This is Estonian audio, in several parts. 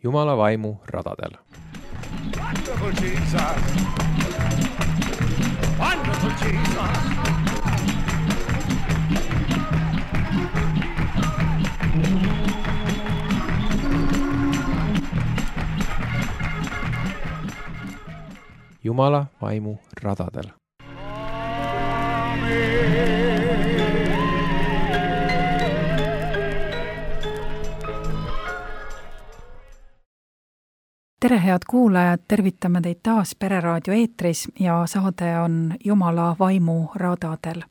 Jumala vaimu radadel. Wonderful Jesus! Wonderful Jesus! Jumala vaimu radadel. Tere, head kuulajad, tervitame teid taas Pereraadio eetris ja saade on Jumala vaimu radadel.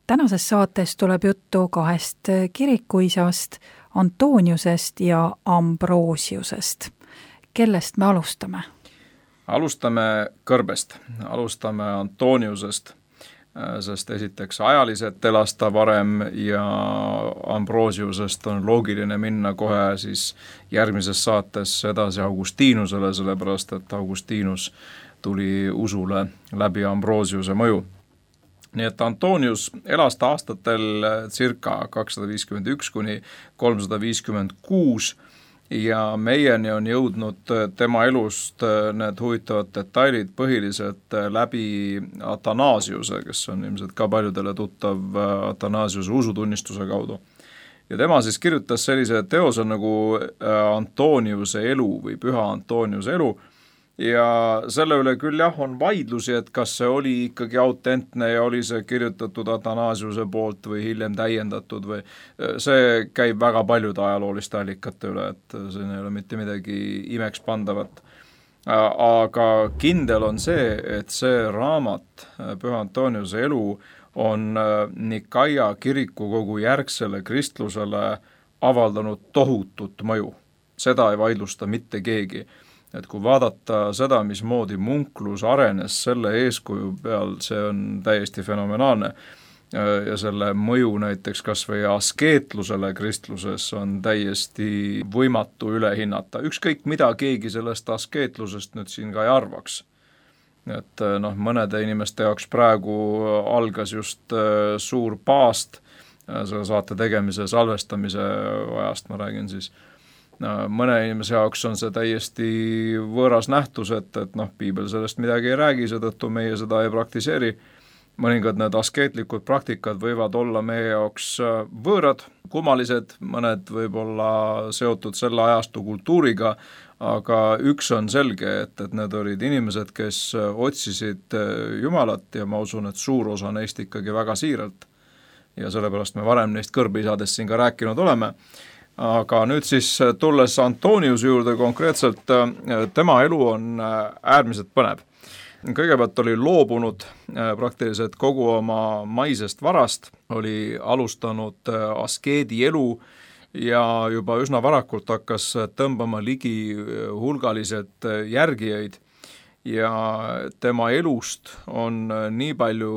Tänases saates tuleb juttu kahest kirikuisast, Antoniusest ja Ambrosiusest. Kellest me alustame? Alustame kõrbest, alustame Antoniusest, sest esiteks ajaliselt elas ta varem ja Ambrosiusest on loogiline minna kohe siis järgmises saates edasi Augustinusele, sellepärast et Augustinus tuli usule läbi Ambrosiuse mõju. Nii et Antonius elas ta aastatel circa 251 kuni 356 ja meieni on jõudnud tema elust need huvitavad detailid põhiliselt läbi Athanasiuse, kes on ilmselt ka paljudele tuttav Athanasiuse usutunnistuse kaudu. Ja tema siis kirjutas sellise teose nagu Antoniuse elu või Püha Antoniuse elu ja selle üle küll jah, on vaidlusi, et kas see oli ikkagi autentne ja oli see kirjutatud Athanasiuse poolt või hiljem täiendatud või see käib väga paljude ajalooliste allikate üle, et siin ei ole mitte midagi imeks pandavat. Aga kindel on see, et see raamat, Püha Antoniuse elu, on Nikaia kirikukogu järgsele kristlusele avaldanud tohutut mõju. Seda ei vaidlusta mitte keegi. Et kui vaadata seda, mismoodi munklus arenes selle eeskuju peal, see on täiesti fenomenaalne. Ja selle mõju näiteks kas või askeetlusele kristluses on täiesti võimatu üle hinnata. Ükskõik mida keegi sellest askeetlusest nüüd siin ka ei arvaks. Et mõnede inimeste jaoks praegu algas just suur paast, selle saate tegemise salvestamise ajast ma räägin siis. Mõne inimese jaoks on see täiesti võõras nähtus, et piibel sellest midagi ei räägi, seetõttu meie seda ei praktiseeri. Mõningad need askeetlikud praktikad võivad olla meie jaoks võõrad, kummalised, mõned võib olla seotud selle ajastu kultuuriga, aga üks on selge, et need olid inimesed, kes otsisid Jumalat ja ma usun, et suur osa neist ikkagi väga siiralt. Ja sellepärast me varem neist kõrbiisadest siin ka rääkinud oleme. Aga nüüd siis tulles Antoniuse juurde konkreetselt, tema elu on äärmiselt põnev. Kõigepealt oli loobunud praktiliselt kogu oma maisest varast, oli alustanud askeedi elu ja juba üsna varakult hakkas tõmbama ligi hulgaliselt järgijaid. Ja tema elust on nii palju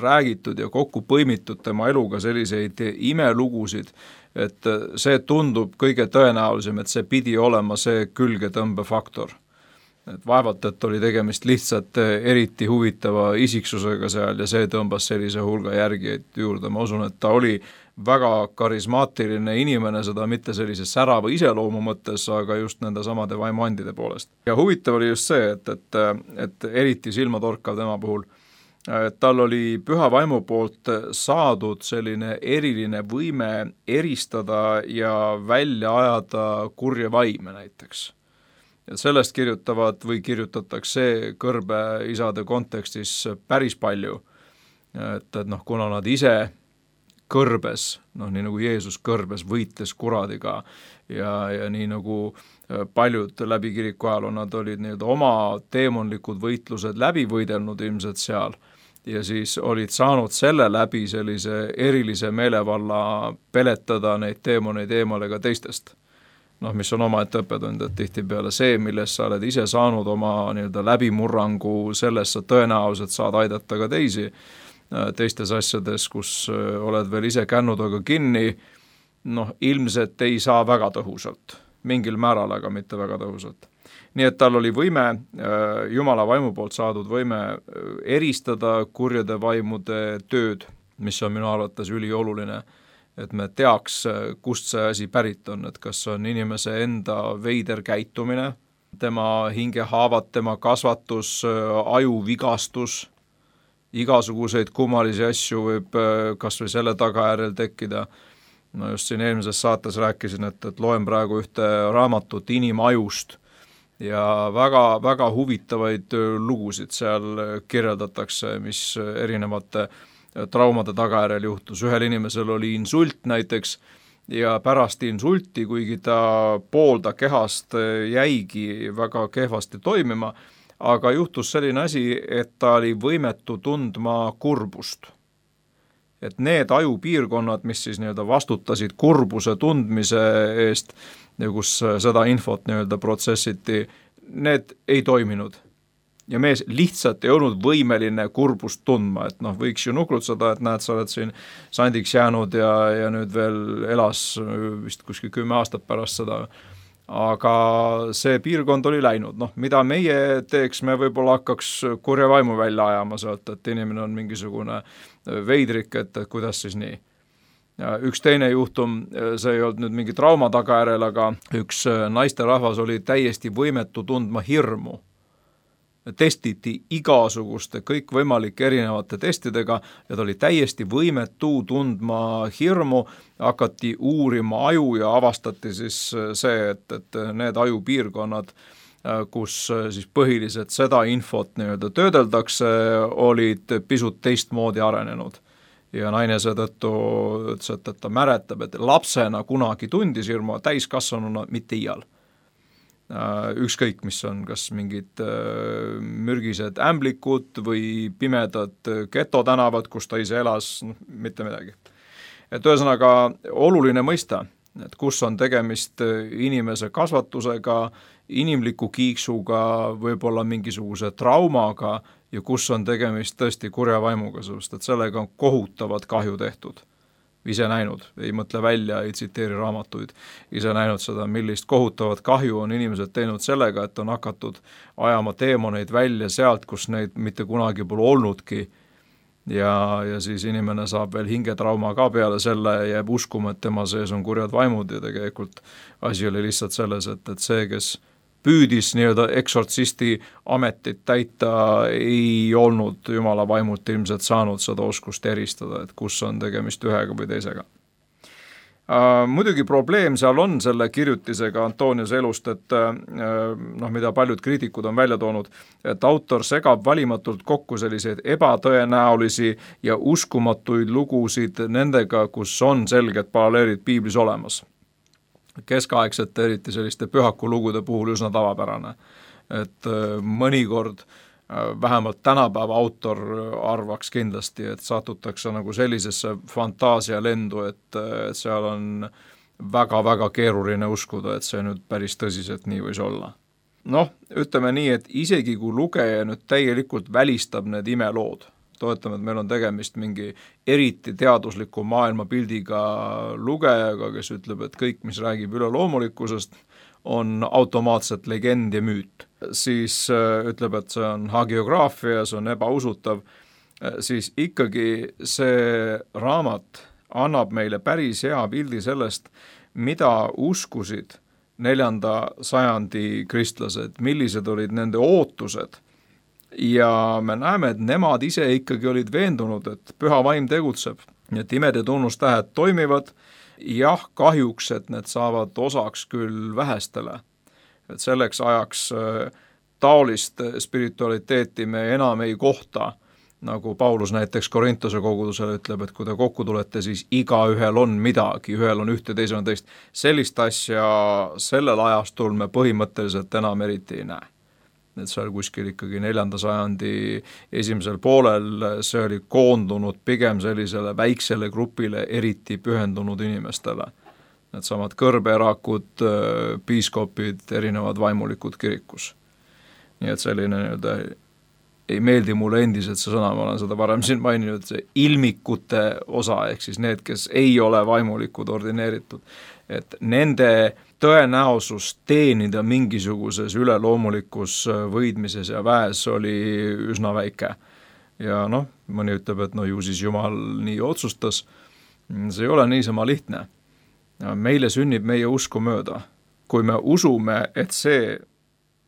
räägitud ja kokku põimitud tema eluga selliseid imelugusid, et see tundub kõige tõenäolisem, et see pidi olema see külgetõmbefaktor. Et vaevalt, et oli tegemist lihtsalt eriti huvitava isiksusega seal ja see tõmbas sellise hulga järgijaid juurde. Ma usun, et ta oli väga karismaatiline inimene, seda mitte sellise särava iseloomu mõttes, aga just nende samade vaimuandide poolest. Ja huvitav oli just see, et eriti silmatorkav tema puhul, tal oli püha vaimu poolt saadud selline eriline võime eristada ja välja ajada kurje vaime näiteks. Ja sellest kirjutavad või kirjutatakse kõrbeisade kontekstis päris palju, et kuna nad ise kõrbes, nii nagu Jeesus kõrbes, võites kuradiga ja nii nagu paljud läbi kiriku ajal nad olid oma teemonlikud võitlused läbi võidelnud ilmselt seal ja siis olid saanud selle läbi sellise erilise meelevalla peletada neid teemoneid eemale ka teistest. Mis on omaette õppetund, et tihtipeale see, milles sa oled ise saanud oma läbimurrangu, selles sa tõenäoliselt saad aidata ka teisi teistes asjades, kus oled veel ise kännudaga kinni, ilmselt ei saa väga tõhusalt, mingil määral, aga mitte väga tõhusalt. Nii et tal oli võime, Jumala vaimu poolt saadud võime eristada kurjade vaimude tööd, mis on minu arvates ülioluline et me teaks, kust see asi pärit on, et kas on inimese enda veider käitumine, tema hingehaavad, tema kasvatus, ajuvigastus, igasuguseid kummalisi asju võib kas või selle tagajärjel tekkida. No just siin eelmises saates rääkisin, et loen praegu ühte raamatut inimajust ja väga, väga huvitavaid lugusid seal kirjeldatakse, mis erinevate traumade tagajärjel juhtus. Ühel inimesel oli insult näiteks ja pärast insulti, kuigi ta poolda kehast jäigi väga kehvasti toimima, aga juhtus selline asi, et ta oli võimetu tundma kurbust. Et need ajupiirkonnad, mis siis vastutasid kurbuse tundmise eest ja kus seda infot protsessiti, need ei toiminud. Ja mees lihtsalt ei olnud võimeline kurbust tundma, et võiks ju nuklutseda, et näed, sa oled siin sandiks jäänud ja nüüd veel elas vist kuskil 10 aastat pärast seda. Aga see piirkond oli läinud. Mida meie teeks, me võib-olla hakkaks kurja vaimu välja ajama sealt, et inimene on mingisugune veidrik, et kuidas siis nii. Ja üks teine juhtum, see ei olnud nüüd mingi trauma tagajärjel, aga üks naisterahvas oli täiesti võimetu tundma hirmu. Testiti igasuguste kõikvõimalike erinevate testidega ja ta oli täiesti võimetu tundma hirmu, hakati uurima aju ja avastati siis see, et need ajupiirkonnad, kus siis põhiliselt seda infot töödeldakse, olid pisut teistmoodi arenenud. Ja naine seetõttu ütles, et ta mäletab, et lapsena kunagi tundis hirmu, täiskasvanuna mitte iial. Ükskõik, mis on, kas mingid mürgised ämblikud või pimedad getotänavad, kus ta ise elas, mitte midagi. Et ühesõnaga oluline mõista, et kus on tegemist inimese kasvatusega, inimliku kiiksuga, võib-olla mingisuguse traumaga ja kus on tegemist tõesti kurja vaimuga, sest et sellega on kohutavad kahju tehtud. Ise näinud, ei mõtle välja, ei tsiteeri raamatuid, ise näinud seda, millist kohutavat kahju on inimesed teinud sellega, et on hakatud ajama teemoneid välja sealt, kus neid mitte kunagi pole olnudki ja siis inimene saab veel hingetrauma ka peale selle ja jääb uskuma, et tema sees on kurjad vaimud ja tegelikult asi oli lihtsalt selles, et see, kes püüdis eksortsisti ametit täita, ei olnud Jumala vaimult ilmselt saanud seda oskust eristada, et kus on tegemist ühega või teisega. Muidugi probleem seal on selle kirjutisega Antoniuse elust, et mida paljud kriitikud on välja toonud, et autor segab valimatult kokku selliseid ebatõenäolisi ja uskumatuid lugusid nendega, kus on selged paralleelid piiblis olemas. Keskaegsete, eriti selliste pühakulugude puhul üsna tavapärane. Et mõnikord vähemalt tänapäeva autor arvaks kindlasti, et satutakse nagu sellisesse fantaasialendu, et seal on väga-väga keeruline uskuda, et see nüüd päris tõsiselt nii võis olla. Ütleme nii, et isegi kui lugeja nüüd täielikult välistab need imelood, toetame, et meil on tegemist mingi eriti teadusliku maailmapildiga lugejaga, kes ütleb, et kõik, mis räägib üleloomulikkusest, on automaatselt legend ja müüt. Siis ütleb, et see on hagiograafia, see on ebausutav, siis ikkagi see raamat annab meile päris hea pildi sellest, mida uskusid 4. sajandi kristlased, millised olid nende ootused. Ja me näeme, et nemad ise ikkagi olid veendunud, et püha vaim tegutseb, et imed ja tunnustähed toimivad, jah, kahjuks, et need saavad osaks küll vähestele. Et selleks ajaks taolist spiritualiteeti me enam ei kohta, nagu Paulus näiteks Korintuse kogudusele ütleb, et kui te kokku tulete, siis igaühel on midagi, ühel on ühte, teisel on teist. Sellist asja sellel ajastul me põhimõtteliselt enam eriti ei näe. Et seal kuskil ikkagi 4. sajandi esimesel poolel see oli koondunud pigem sellisele väiksele grupile eriti pühendunud inimestele. Need samad kõrbeerakud, piiskopid, erinevad vaimulikud kirikus. Nii et selline ei meeldi mulle endiselt see sõna, ma olen seda varem siin maininud, see ilmikute osa, ehk siis need, kes ei ole vaimulikud ordineeritud, et nende tõenäosus teenida mingisuguses üleloomulikus võidmises ja väes oli üsna väike. Ja mõni ütleb, et ju siis Jumal nii otsustas, see ei ole niisama lihtne. Meile sünnib meie usku mööda. Kui me usume, et see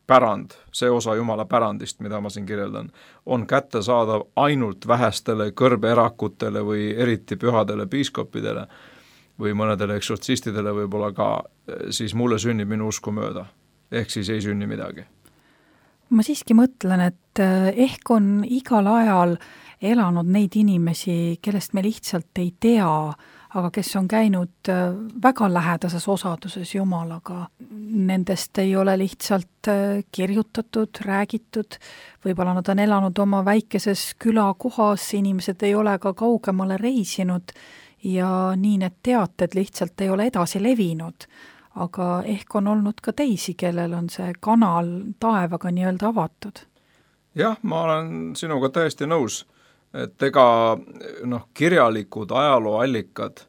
pärand, see osa Jumala pärandist, mida ma siin kirjeldan, on kättesaadav ainult vähestele kõrbeerakutele või eriti pühadele piiskopidele või mõnedele eksortsistidele võib-olla ka, siis mulle sünnib minu usku mööda. Ehk siis ei sünni midagi. Ma siiski mõtlen, et ehk on igal ajal elanud neid inimesi, kellest me lihtsalt ei tea, aga kes on käinud väga lähedases osaduses Jumalaga. Nendest ei ole lihtsalt kirjutatud, räägitud, võib-olla nad on elanud oma väikeses külakohas, inimesed ei ole ka kaugemale reisinud ja nii need teated lihtsalt ei ole edasi levinud. Aga ehk on olnud ka teisi, kellel on see kanal taevaga nii-öelda avatud. Jah, ma olen sinuga täiesti nõus, et ega kirjalikud ajalooallikad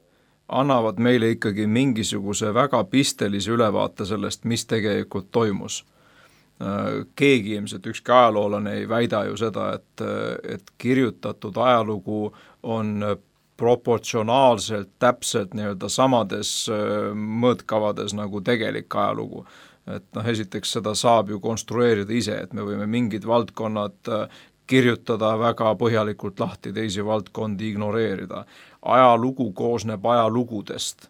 annavad meile ikkagi mingisuguse väga pistelise ülevaate sellest, mis tegelikult toimus. Keegi ilmselt ükski ajaloolane ei väida ju seda, et kirjutatud ajalugu on proportsionaalselt täpselt nii-öelda samades mõõtkavades nagu tegelik ajalugu. Et esiteks seda saab ju konstrueerida ise, et me võime mingid valdkonnad kirjutada väga põhjalikult lahti, teisi valdkondi ignoreerida. Ajalugu koosneb ajalugudest.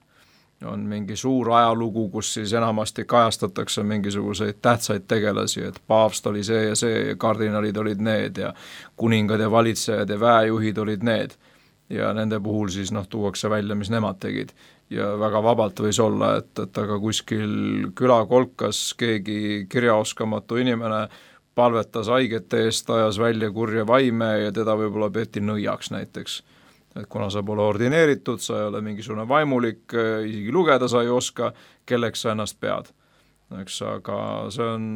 On mingi suur ajalugu, kus siis enamasti kajastatakse mingisuguseid tähtsaid tegelasi, et paavst oli see ja kardinalid olid need ja kuningad ja valitsejad ja väejuhid olid need. Ja nende puhul siis tuuakse välja, mis nemad tegid. Ja väga vabalt võis olla, et aga kuskil külakolkas keegi kirjaoskamatu inimene palvetas haigete eest, ajas välja kurja vaime ja teda võib-olla peeti nõiaks näiteks. Et kuna sa pole ordineeritud, sa ei ole mingisugune vaimulik, isegi lugeda sa ei oska, kelleks sa ennast pead. Eks, aga see on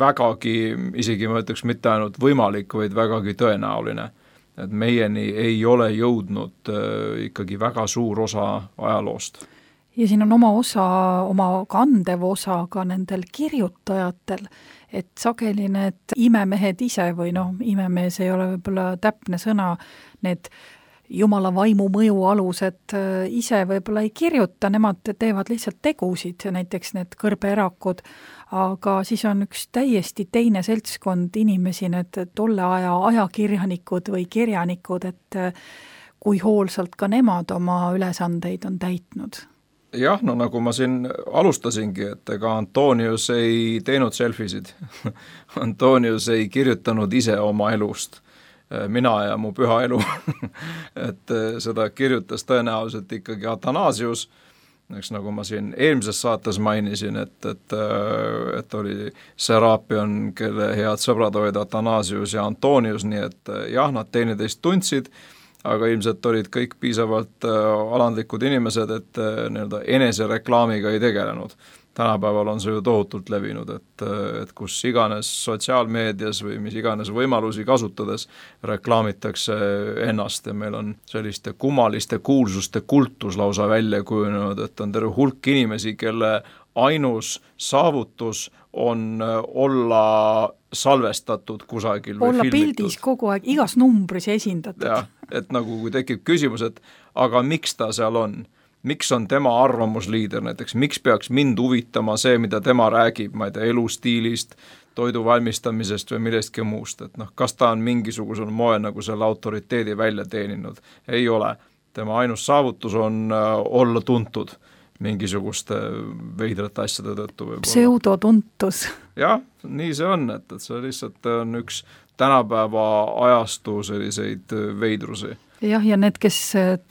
vägagi, isegi ma ütleks mitte ainult võimalik, vaid vägagi tõenäoline. Et meieni ei ole jõudnud ikkagi väga suur osa ajaloost. Ja siin on oma kandev osa ka nendel kirjutajatel, et sageli need imemehed ise või imemees ei ole võib-olla täpne sõna, need Jumala vaimu mõju alused ise võib-olla ei kirjuta, nemad teevad lihtsalt tegusid, näiteks need kõrbeerakud, aga siis on üks täiesti teine seltskond inimesi, need tolle aja ajakirjanikud või kirjanikud, et kui hoolsalt ka nemad oma ülesandeid on täitnud. Jah, nagu ma siin alustasingi, et ega Antonius ei teinud selfisid. Antonius ei kirjutanud ise oma elust. Mina ja mu püha elu. Et seda kirjutas tõenäoliselt ikkagi Athanasius, eks nagu ma siin eelmises saates mainisin, et oli Serapion, kelle head sõbrad olid Athanasius ja Antonius, nii et jah, nad teineteist tundsid, aga ilmselt olid kõik piisavalt alandlikud inimesed, et enesereklaamiga ei tegelenud. Tänapäeval on see ju tohutult levinud, et kus iganes sotsiaalmeedias või mis iganes võimalusi kasutades reklaamitakse ennast ja meil on selliste kummaliste kuulsuste kultus lausa välja kujunenud, et on terve hulk inimesi, kelle ainus saavutus on olla salvestatud kusagil või olla filmitud. Pildis kogu aeg, igas numbris esindatud. Ja, et nagu kui tekib küsimus, et aga miks ta seal on? Miks on tema arvamusliider näiteks, miks peaks mind huvitama see, mida tema räägib, ma ei tea, elustiilist, toidu valmistamisest või millestki muust, et kas ta on mingisugusel moel nagu selle autoriteedi välja teeninud? Ei ole. Tema ainus saavutus on olla tuntud mingisuguste veidrate asjade tõttu. Pseudotuntus. Jah, nii see on, et see lihtsalt on üks tänapäeva ajastu selliseid veidrusi. Jah, ja need, kes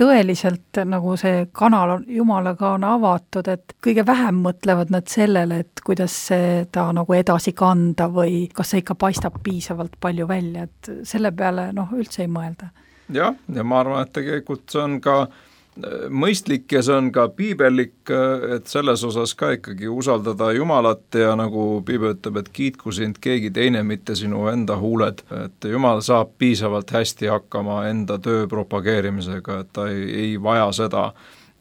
tõeliselt nagu see kanal Jumalaga on avatud, et kõige vähem mõtlevad nad sellele, et kuidas seda nagu edasi kanda või kas see ikka paistab piisavalt palju välja, et selle peale üldse ei mõelda. Jah, ja ma arvan, et tegelikult see on ka mõistlik ja see on ka piibellik, et selles osas ka ikkagi usaldada Jumalat ja nagu piibel ütleb, et kiitku sind keegi teine, mitte sinu enda huuled, et Jumal saab piisavalt hästi hakkama enda töö propageerimisega, et ta ei vaja seda,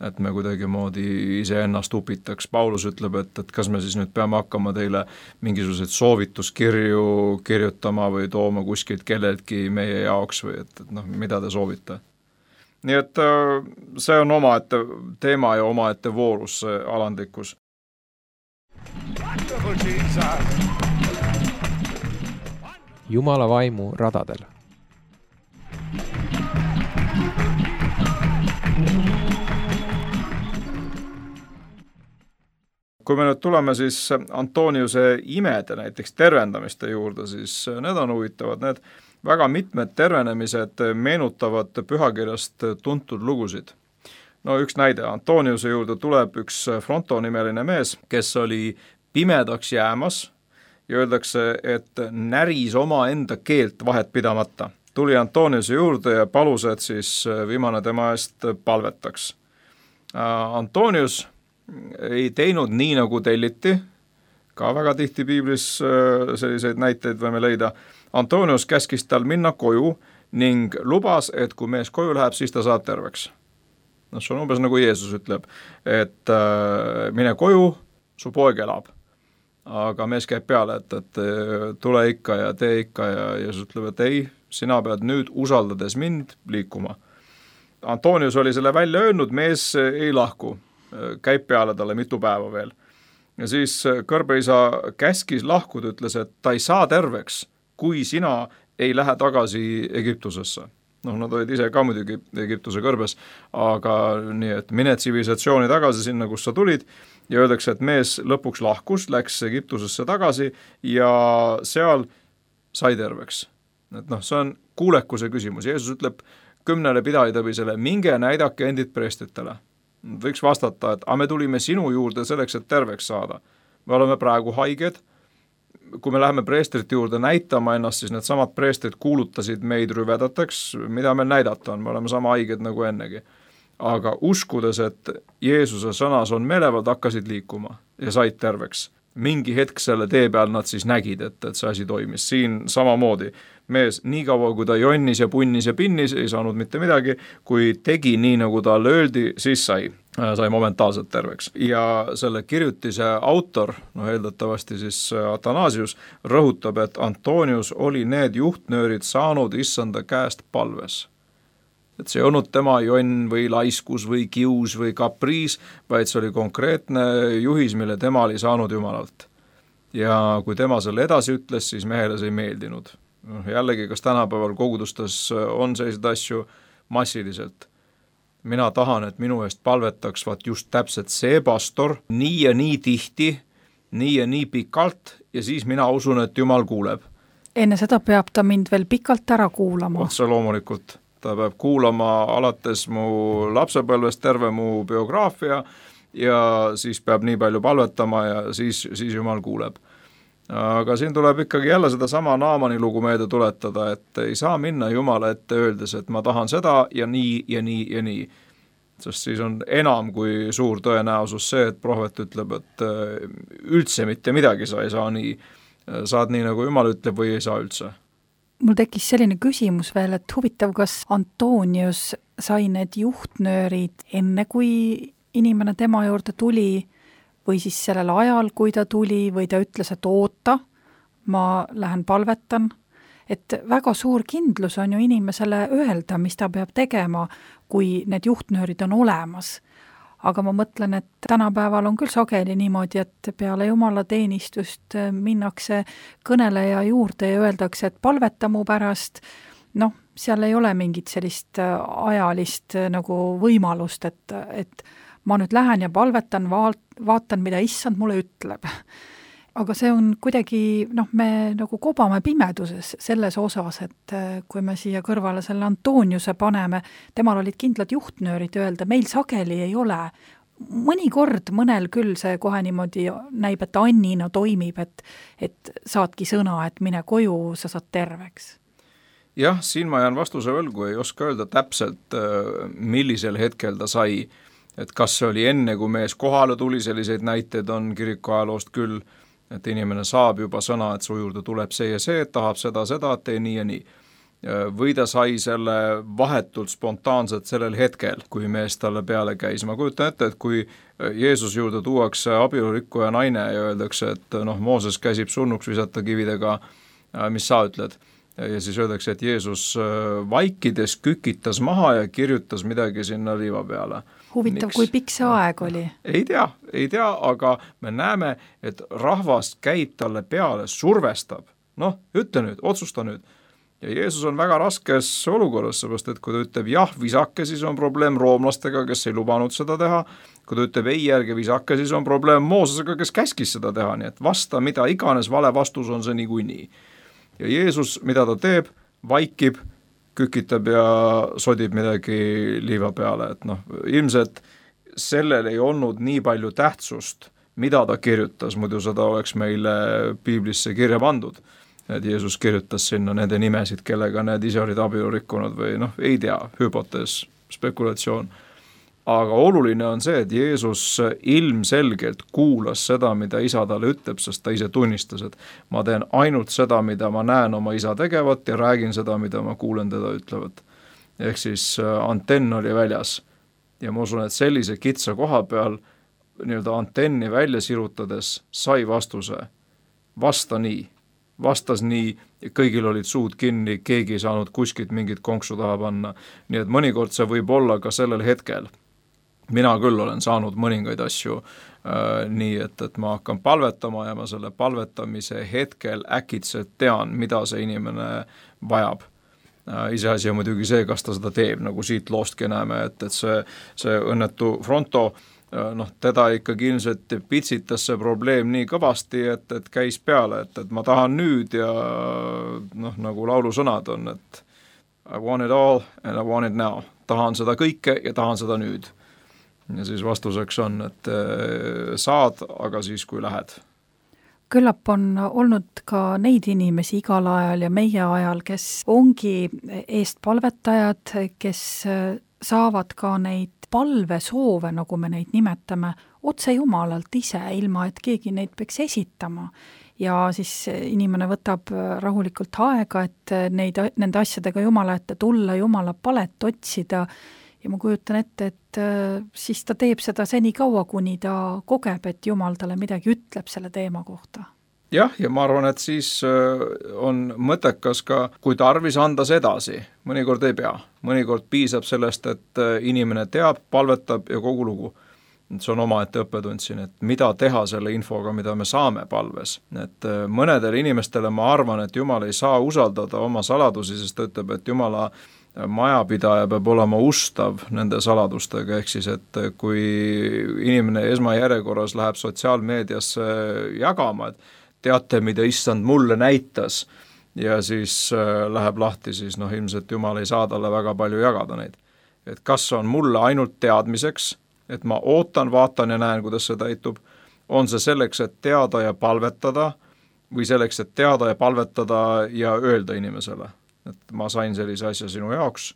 et me kuidagi moodi iseennast upitaks. Paulus ütleb, et kas me siis nüüd peame hakkama teile mingisuguseid soovituskirju kirjutama või tooma kuskilt kelleltki meie jaoks või et mida te soovite. Nii et see on omaette teema ja omaette voorus, see alandlikkus. Wonderful Jesus. Jumala vaimu radadel. Kui me nüüd tuleme siis Antoniuse imede, näiteks tervendamiste juurde, siis need on huvitavad. Need väga mitmed tervenemised meenutavad pühakirjast tuntud lugusid. No üks näide, Antoniuse juurde tuleb üks Fronto nimeline mees, kes oli pimedaks jäämas ja öeldakse, et näris oma enda keelt vahet pidamata. Tuli Antoniuse juurde ja palus, et siis viimane tema eest palvetaks. Antonius ei teinud nii, nagu telliti, ka väga tihti piiblis selliseid näiteid võime leida. Antonius käskis tal minna koju ning lubas, et kui mees koju läheb, siis ta saab terveks. No see on umbes nagu Jeesus ütleb, et mine koju, su poeg elab. Aga mees käib peale, et tule ikka ja tee ikka ja Jeesus ütleb, et ei, sina pead nüüd usaldades mind liikuma. Antonius oli selle välja öelnud, mees ei lahku, käib peale talle mitu päeva veel. Ja siis kõrbeisa käskis lahkuda, ütles, et ta ei saa terveks, kui sina ei lähe tagasi Egiptusesse. Nad olid ise ka muidugi Egiptuse kõrbes, aga nii, et mine tsivilisatsiooni tagasi sinna, kus sa tulid, ja öeldakse, et mees lõpuks lahkus, läks Egiptusesse tagasi ja seal sai terveks. Et see on kuulekuse küsimus. Jeesus ütleb 10 pidajatõbisele, minge näidake endid preestritele. Võiks vastata, et me tulime sinu juurde selleks, et terveks saada. Me oleme praegu haiged. Kui me läheme preestrite juurde näitama ennast, siis need samad preestrid kuulutasid meid rüvedateks, mida meil näidata on, me oleme sama haiged nagu ennegi. Aga uskudes, et Jeesuse sõnas on meelevad, hakkasid liikuma ja said terveks. Mingi hetk selle tee peal nad siis nägid, et see asi toimis. Siin samamoodi mees nii kaua, kui ta jonnis ja punnis ja pinnis, ei saanud mitte midagi, kui tegi nii, nagu talle öeldi, siis sai momentaalselt terveks. Ja selle kirjutise autor, eeldatavasti siis Athanasius, rõhutab, et Antonius oli need juhtnöörid saanud issanda käest palves. Et see ei olnud tema jonn või laiskus või kius või kapriis, vaid see oli konkreetne juhis, mille tema oli saanud Jumalalt. Ja kui tema selle edasi ütles, siis mehele see ei meeldinud. Jällegi, kas tänapäeval kogudustes on selliseid asju massiliselt? Mina tahan, et minu eest palvetaks just täpselt see pastor, nii ja nii tihti, nii ja nii pikalt, ja siis mina usun, et Jumal kuuleb. Enne seda peab ta mind veel pikalt ära kuulama. Otse loomulikult. Ta peab kuulama alates mu lapsepõlvest terve mu biograafia ja siis peab nii palju palvetama ja siis Jumal kuuleb. Aga siin tuleb ikkagi jälle seda sama Naamani lugu meelde tuletada, et ei saa minna Jumala ette öeldes, et ma tahan seda ja nii ja nii ja nii. Sest siis on enam kui suur tõenäosus see, et prohvet ütleb, et üldse mitte midagi sa ei saa nii. Saad nii, nagu Jumal ütleb või ei saa üldse. Mul tekkis selline küsimus veel, et huvitav, kas Antonius sai need juhtnöörid enne, kui inimene tema juurde tuli või siis sellel ajal, kui ta tuli või ta ütles, et oota, ma lähen palvetan. Et väga suur kindlus on ju inimesele öelda, mis ta peab tegema, kui need juhtnöörid on olemas. Aga ma mõtlen, et tänapäeval on küll sageli niimoodi, et peale Jumala teenistust minnakse kõneleja juurde ja öeldakse, et palveta mu pärast. Seal ei ole mingit sellist ajalist nagu võimalust, et ma nüüd lähen ja palvetan, vaatan, mida issand mulle ütleb. Aga see on kuidagi, me nagu kobame pimeduses selles osas, et kui me siia kõrvale selle Antoniuse paneme, temal olid kindlad juhtnöörid öelda, meil sageli ei ole. Mõnikord mõnel küll see kohe niimoodi näib, et annina toimib, et saadki sõna, et mine koju, sa saad terveks. Jah, siin ma jään vastuse võlgu, ei oska öelda täpselt, millisel hetkel ta sai, et kas see oli enne, kui mees kohale tuli, selliseid näiteid on kiriku ajaloost küll, et inimene saab juba sõna, et su juurde tuleb see ja see, et tahab seda, et tee nii ja nii. Või ta sai selle vahetult spontaanselt sellel hetkel, kui mees talle peale käis. Ma kujutan ette, et kui Jeesus juurde tuuakse abielurikkuja naine ja öeldakse, et Mooses käsib surnuks visata kividega, mis sa ütled? ja siis öeldakse, et Jeesus vaikides kükitas maha ja kirjutas midagi sinna liiva peale. Huvitav, kui pikk see aeg oli? Ei tea, aga me näeme, et rahvas käib talle peale, survestab. Noh, ütle nüüd, otsusta nüüd. Ja Jeesus on väga raskes olukorras, seepärast, et kui ta ütleb jah, visake, siis on probleem roomlastega, kes ei lubanud seda teha. Kui ta ütleb ei, ärge visake, siis on probleem Moosesega, kes käskis seda teha. Nii et vasta, mida iganes vale vastus on see niikuinii. Ja Jeesus, mida ta teeb, vaikib, kükitab ja sodib midagi liiva peale. Et noh, ilmselt sellel ei olnud nii palju tähtsust, mida ta kirjutas, muidu seda oleks meile piiblisse kirja pandud. Et Jeesus kirjutas sinna nende nimesid, kellega need ise olid abielu rikkunud või noh, ei tea, hüpotees, spekulatsioon. Aga oluline on see, et Jeesus ilmselgelt kuulas seda, mida isa talle ütleb, sest ta ise tunnistas, et ma teen ainult seda, mida ma näen oma isa tegevat ja räägin seda, mida ma kuulen teda ütlevat. Ehk siis antenn oli väljas. Ja ma usun, et sellise kitsa koha peal nii-öelda antenni välja sirutades sai vastuse. Vastas nii, kõigil olid suud kinni, keegi ei saanud kuskilt mingit konksu taha panna. Nii et mõnikord see võib olla ka sellel hetkel. Mina küll olen saanud mõningaid asju nii, et ma hakkan palvetama ja ma selle palvetamise hetkel äkitselt tean, mida see inimene vajab. Iseasi on muidugi see, kas ta seda teeb, nagu siit loostki näeme, et see õnnetu Fronto, noh, teda ikkagi ilmselt pitsitas see probleem nii kõvasti, et käis peale, et ma tahan nüüd ja noh, nagu laulusõnad on, et I want it all and I want it now. Tahan seda kõike ja tahan seda nüüd. Ja siis vastuseks on, et saad, aga siis kui lähed. Küllap on olnud ka neid inimesi igal ajal ja meie ajal, kes ongi eestpalvetajad, kes saavad ka neid palvesoove, nagu me neid nimetame, otse Jumalalt ise, ilma et keegi neid peaks esitama. Ja siis inimene võtab rahulikult aega, et nende asjadega Jumala ette tulla, Jumala palet otsida ja ma kujutan ette, et siis ta teeb seda seni kaua, kuni ta kogeb, et Jumal talle midagi ütleb selle teema kohta. Jah, ja ma arvan, et siis on mõttekas ka, kui tarvis anda see edasi. Mõnikord ei pea. Mõnikord piisab sellest, et inimene teab, palvetab ja kogu lugu. See on omaette õppetund siin, et mida teha selle infoga, mida me saame palves. Et mõnedele inimestele ma arvan, et Jumal ei saa usaldada oma saladusi, sest ta ütleb, et Jumala majapidaja peab olema ustav nende saladustega, ehk siis, et kui inimene esmajärjekorras läheb sotsiaalmeediasse jagama, et teate, mida issand mulle näitas ja siis läheb lahti, siis noh, ilmselt Jumal ei saa talle väga palju jagada neid. Et kas on mulle ainult teadmiseks, et ma ootan, vaatan ja näen, kuidas see täitub, on see selleks, et teada ja palvetada või selleks, et teada ja palvetada ja öelda inimesele, et ma sain sellise asja sinu jaoks,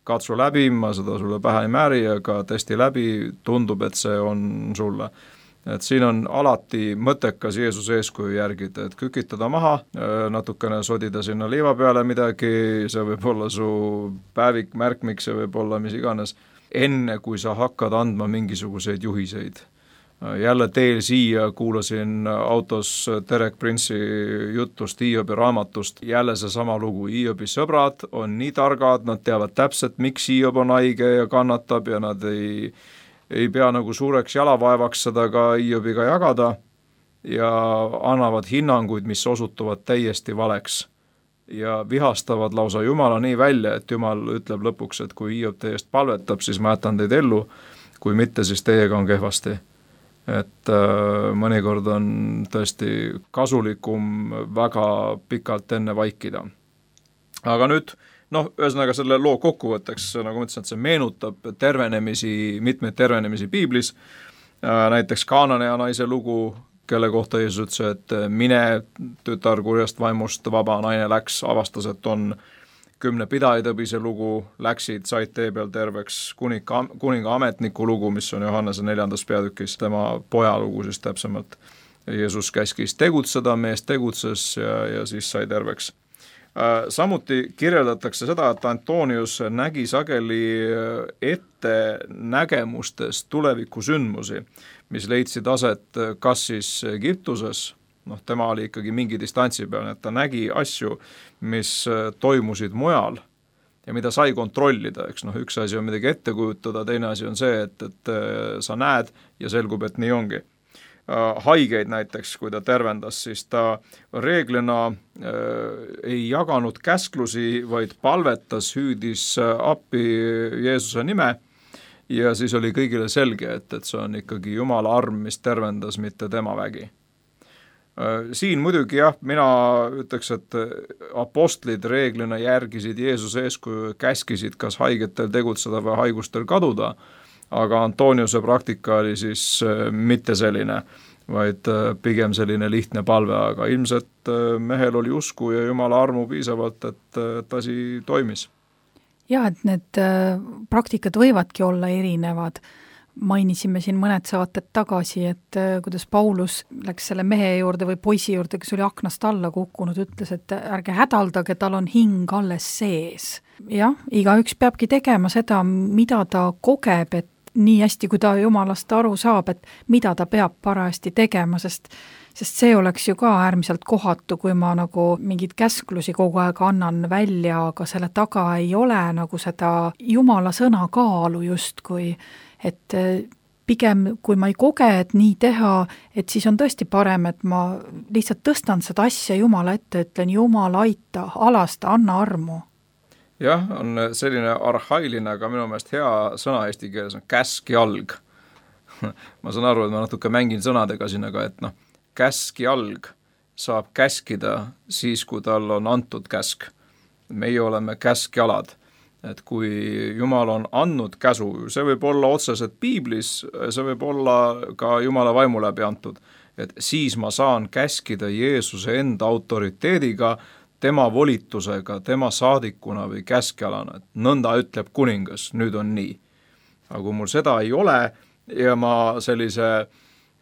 katsu läbi, ma seda sulle pähe ei määri, aga testi läbi, tundub, et see on sulle. Et siin on alati mõttekas Jeesuse eeskuju järgida, et kükitada maha, natukene sodida sinna liiva peale midagi, see võib olla su päevik, märkmik, see võib olla mis iganes, enne kui sa hakkad andma mingisuguseid juhiseid. Jälle teel siia kuulasin autos Derek Prince'i jutust Hiobi raamatust, jälle see sama lugu, Hiobi sõbrad on nii targad, nad teavad täpselt, miks Hiob on haige ja kannatab ja nad ei pea nagu suureks jalavaevaks seda ka Hiobiga jagada ja annavad hinnanguid, mis osutuvad täiesti valeks ja vihastavad lausa Jumala nii välja, et Jumal ütleb lõpuks, et kui Hiob teie eest palvetab, siis ma jätan teid ellu, kui mitte, siis teiega on kehvasti. Et mõnikord on tõesti kasulikum väga pikalt enne vaikida. Aga nüüd, noh, ühesõnaga selle loo kokkuvõtteks, nagu ma ütlesin, et see meenutab mitmeid tervenemisi piiblis, näiteks Kaananea naise lugu, kelle kohta Jeesus ütles, et mine tütar kurjast vaimust, vaba naine läks, avastas, et on 10 pidajaitõbise lugu, läksid, said tee peal terveks, kuninga ametniku lugu, mis on Johannese 4. peatükis, tema poja lugu siis täpsemalt. Jeesus käskis tegutseda, mees tegutses ja siis sai terveks. Samuti kirjeldatakse seda, et Antonius nägi sageli ette nägemustes tulevikusündmusi, mis leidsid aset kas siis Egiptuses, tema oli ikkagi mingi distantsi peal, et ta nägi asju, mis toimusid mujal ja mida sai kontrollida, eks üks asi on midagi ette kujutada, teine asi on see, et sa näed ja selgub, et nii ongi. Haigeid näiteks, kui ta tervendas, siis ta reeglina ei jaganud käsklusi, vaid palvetas, hüüdis appi Jeesuse nime ja siis oli kõigile selge, et see on ikkagi Jumala arm, mis tervendas, mitte tema vägi. Siin muidugi mina ütleks, et apostlid reeglina järgisid Jeesuse eeskuju, käskisid kas haigetel tegutseda või haigustel kaduda, aga Antoniuse praktika oli siis mitte selline, vaid pigem selline lihtne palve, aga ilmselt mehel oli usku ja Jumala armu piisavalt, et asi toimis. Ja, et need praktikad võivadki olla erinevad. Mainisime siin mõned saated tagasi, et kuidas Paulus läks selle mehe juurde või poisi juurde, kes oli aknast alla kukkunud, ütles, et ärge hädaldage, tal on hing alles sees. Jah, igaüks peabki tegema seda, mida ta kogeb, et nii hästi, kui ta Jumalast aru saab, et mida ta peab parajasti tegema, sest see oleks ju ka äärmiselt kohatu, kui ma nagu mingid käsklusi kogu aeg annan välja, aga selle taga ei ole nagu seda Jumala sõna kaalu justkui, et pigem kui ma ei koge, et nii teha, et siis on tõesti parem, et ma lihtsalt tõstan seda asja Jumala ette, ütlen Jumal aita, alasta, anna armu. Jah, on selline arhailine, aga minu meelest hea sõna eesti keeles on käskjalg. Ma saan aru, et ma natuke mängin sõnadega siin, aga et käskjalg saab käskida siis, kui tal on antud käsk. Meie oleme käskjalad. Et kui Jumal on andnud käsu, see võib olla otseselt piiblis, see võib olla ka Jumala vaimu läbi antud, et siis ma saan käskida Jeesuse enda autoriteediga, tema volitusega, tema saadikuna või käskjalana, et nõnda ütleb kuningas, nüüd on nii. Aga kui mul seda ei ole ja ma sellise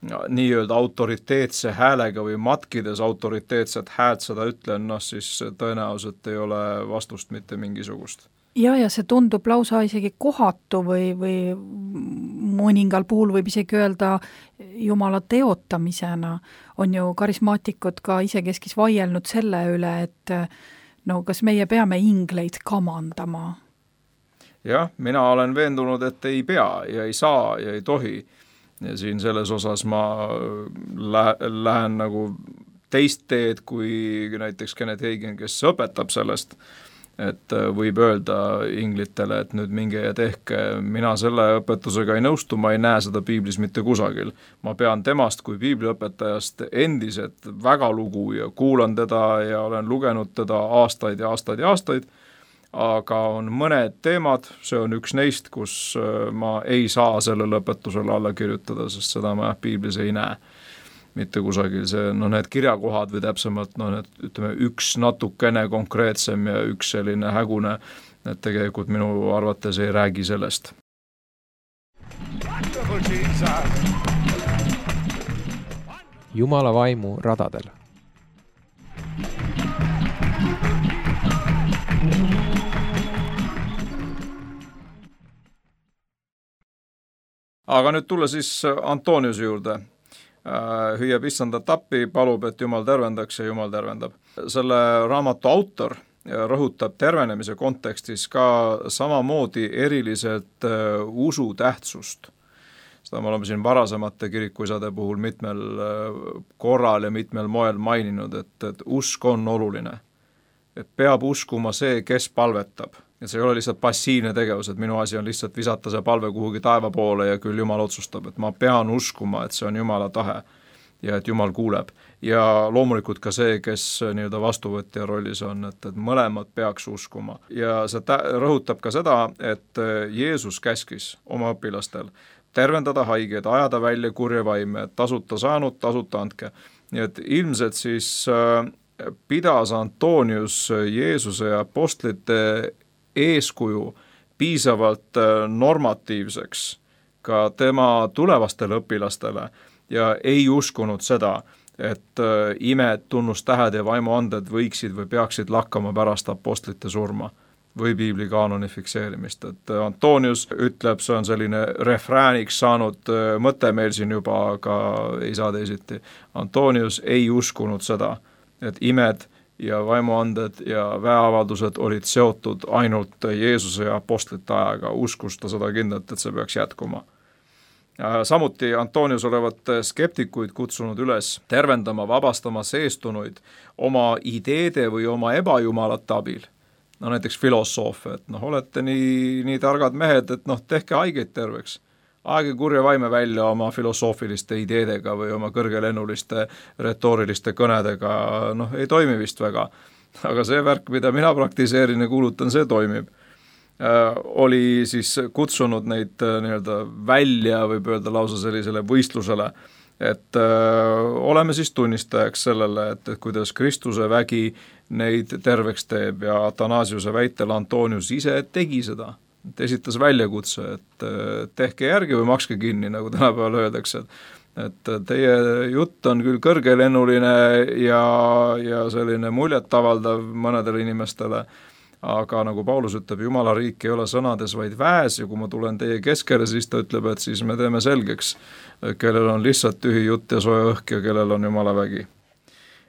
nii-öelda autoriteetse häälega või matkides autoriteetset häält seda ütlen, siis tõenäoliselt ei ole vastust mitte mingisugust. Ja see tundub lausa isegi kohatu või mõningal puhul võib isegi öelda Jumala teotamisena. On ju karismaatikud ka isekeskis vaielnud selle üle, et kas meie peame ingleid kamandama? Jah, mina olen veendunud, et ei pea ja ei saa ja ei tohi. Ja siin selles osas ma lähen nagu teist teed kui näiteks Kenneth Hagin, kes õpetab sellest, et võib öelda inglitele, et nüüd minge ja tehke, mina selle õpetusega ei nõustu, ma ei näe seda piiblis mitte kusagil. Ma pean temast kui piibliõpetajast endiselt väga lugu ja kuulan teda ja olen lugenud teda aastaid ja aastaid ja aastaid, aga on mõned teemad, see on üks neist, kus ma ei saa sellele õpetusele alla kirjutada, sest seda ma piiblis ei näe. Mitte kusagil see, need kirjakohad või täpsemalt, ütleme, üks natukene konkreetsem ja üks selline hägune, et tegelikult minu arvates ei räägi sellest. Jumala vaimu radadel. Aga nüüd tulla siis Antoniuse juurde. Hüüab issanda tappi, palub, et Jumal tervendaks ja Jumal tervendab. Selle raamatu autor rõhutab tervenemise kontekstis ka samamoodi eriliselt usu tähtsust. Seda me oleme siin varasemate kirikuisade puhul mitmel korral ja mitmel moel maininud, et usk on oluline. Et peab uskuma see, kes palvetab. Et see ei ole lihtsalt passiivne tegevus, et minu asi on lihtsalt visata see palve kuhugi taeva poole ja küll Jumal otsustab, et ma pean uskuma, et see on Jumala tahe ja et Jumal kuuleb. Ja loomulikult ka see, kes nii-öelda vastuvõtja rollis on, et mõlemad peaks uskuma. Ja see rõhutab ka seda, et Jeesus käskis oma õpilastel tervendada haigeid, ajada välja kurja vaime, tasuta saanud, tasuta andke. Nii et ilmselt siis pidas Antonius Jeesuse ja apostlite eeskuju piisavalt normatiivseks ka tema tulevastele õpilastele ja ei uskunud seda, et imed, tunnustähed ja vaimuanded võiksid või peaksid lakkama pärast apostlite surma, või piibli kaanoni fikseerimist, et Antonius ütleb, see on selline refrääniks saanud mõte meil siin juba, aga ei saa teisiti. Antonius ei uskunud seda, et imed ja vaimuanded ja väeavaldused olid seotud ainult Jeesuse ja apostlite ajaga, uskus ta seda kindlalt, et see peaks jätkuma. Samuti Antonius olevat skeptikuid kutsunud üles tervendama, vabastama seestunuid oma ideede või oma ebajumalate abil. No näiteks filosoofe, et olete nii targad mehed, et tehke haigeid terveks. Aege kurja vaime välja oma filosoofiliste ideedega või oma kõrgelennuliste retooriliste kõnedega, ei toimi vist väga. Aga see värk, mida mina praktiseerin ja kuulutan, see toimib. Oli siis kutsunud neid nii-öelda välja, võib öelda lausa sellisele võistlusele, et oleme siis tunnistajaks sellele, et kuidas Kristuse vägi neid terveks teeb ja Athanasiuse väitel Antonius ise tegi seda. Esitas väljakutse, et tehke järgi või makske kinni, nagu tänapäeval öeldakse, et teie jutt on küll kõrgelennuline ja selline muljetavaldav mõnedele inimestele, aga nagu Paulus ütleb, Jumala riik ei ole sõnades, vaid väes ja kui ma tulen teie keskele, siis ta ütleb, et siis me teeme selgeks, kellel on lihtsalt tühi jutt ja soe õhk ja kellel on Jumala vägi.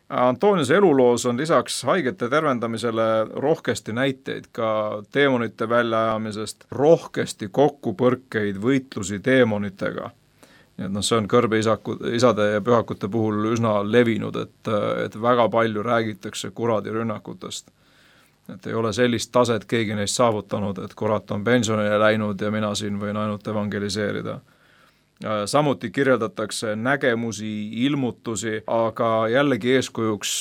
Antoniuse eluloos on lisaks haigete tervendamisele rohkesti näiteid ka teemonite väljaajamisest, rohkesti kokkupõrkeid võitlusi teemonitega. Nii et see on kõrbe isade ja pühakute puhul üsna levinud, et väga palju räägitakse kuradi rünnakutest. Et ei ole sellist taset keegi neist saavutanud, et kurat on pensionile läinud ja mina siin võin ainult evangeliseerida. Samuti kirjeldatakse nägemusi, ilmutusi, aga jällegi eeskujuks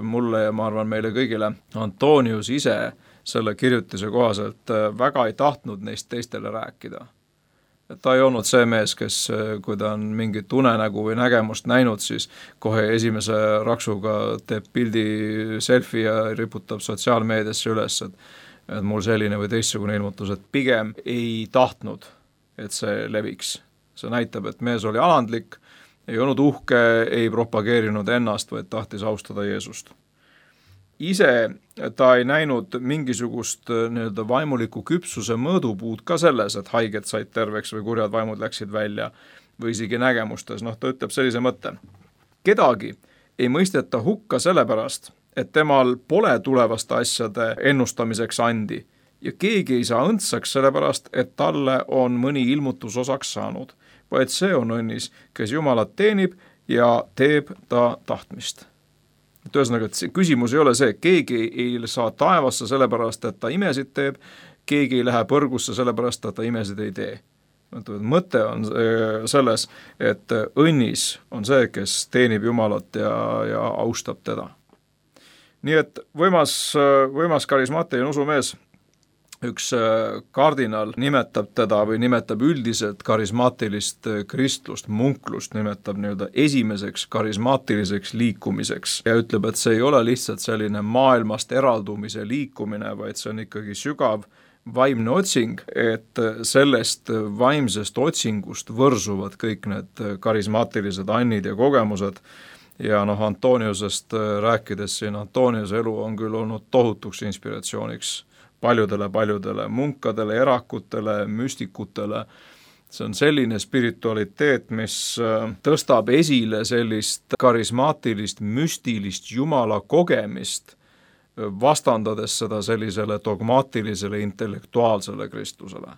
mulle ja ma arvan meile kõigile, Antonius ise selle kirjutise kohaselt väga ei tahtnud neist teistele rääkida. Et ta ei olnud see mees, kes kui ta on mingit unenägu või nägemust näinud, siis kohe esimese raksuga teeb pildi selfie ja riputab sotsiaalmeediasse üles, et mul selline või teistsugune ilmutus, et pigem ei tahtnud, et see leviks. See näitab, et mees oli alandlik, ei olnud uhke, ei propageerinud ennast, vaid tahtis austada Jeesust. Ise ta ei näinud mingisugust nii-öelda vaimuliku küpsuse mõõdupuud ka selles, et haiged said terveks või kurjad vaimud läksid välja või isegi nägemustes. Ta ütleb sellise mõtte. Kedagi ei mõisteta hukka sellepärast, et temal pole tulevaste asjade ennustamiseks andi ja keegi ei saa õndsaks sellepärast, et talle on mõni ilmutus osaks saanud, vaid see on õnnis, kes Jumalat teenib ja teeb ta tahtmist. Et ühesõnaga, et see küsimus ei ole see, keegi ei saa taevasse sellepärast, et ta imesid teeb, keegi ei lähe põrgusse sellepärast, et ta imesid ei tee. Mõte on selles, et õnnis on see, kes teenib Jumalat ja austab teda. Nii et võimas karismaatiline usumees, üks kardinal nimetab teda või nimetab üldiselt karismaatilist kristlust, munklust nimetab nii-öelda esimeseks karismaatiliseks liikumiseks ja ütleb, et see ei ole lihtsalt selline maailmast eraldumise liikumine, vaid see on ikkagi sügav vaimne otsing, et sellest vaimsest otsingust võrsuvad kõik need karismaatilised annid ja kogemused ja Antoniusest rääkides siin, Antoniuse elu on küll olnud tohutuks inspiratsiooniks paljudele munkadele, erakutele, müstikutele. See on selline spiritualiteet, mis tõstab esile sellist karismaatilist, müstilist Jumala kogemist, vastandades seda sellisele dogmaatilisele, intellektuaalsele kristlusele.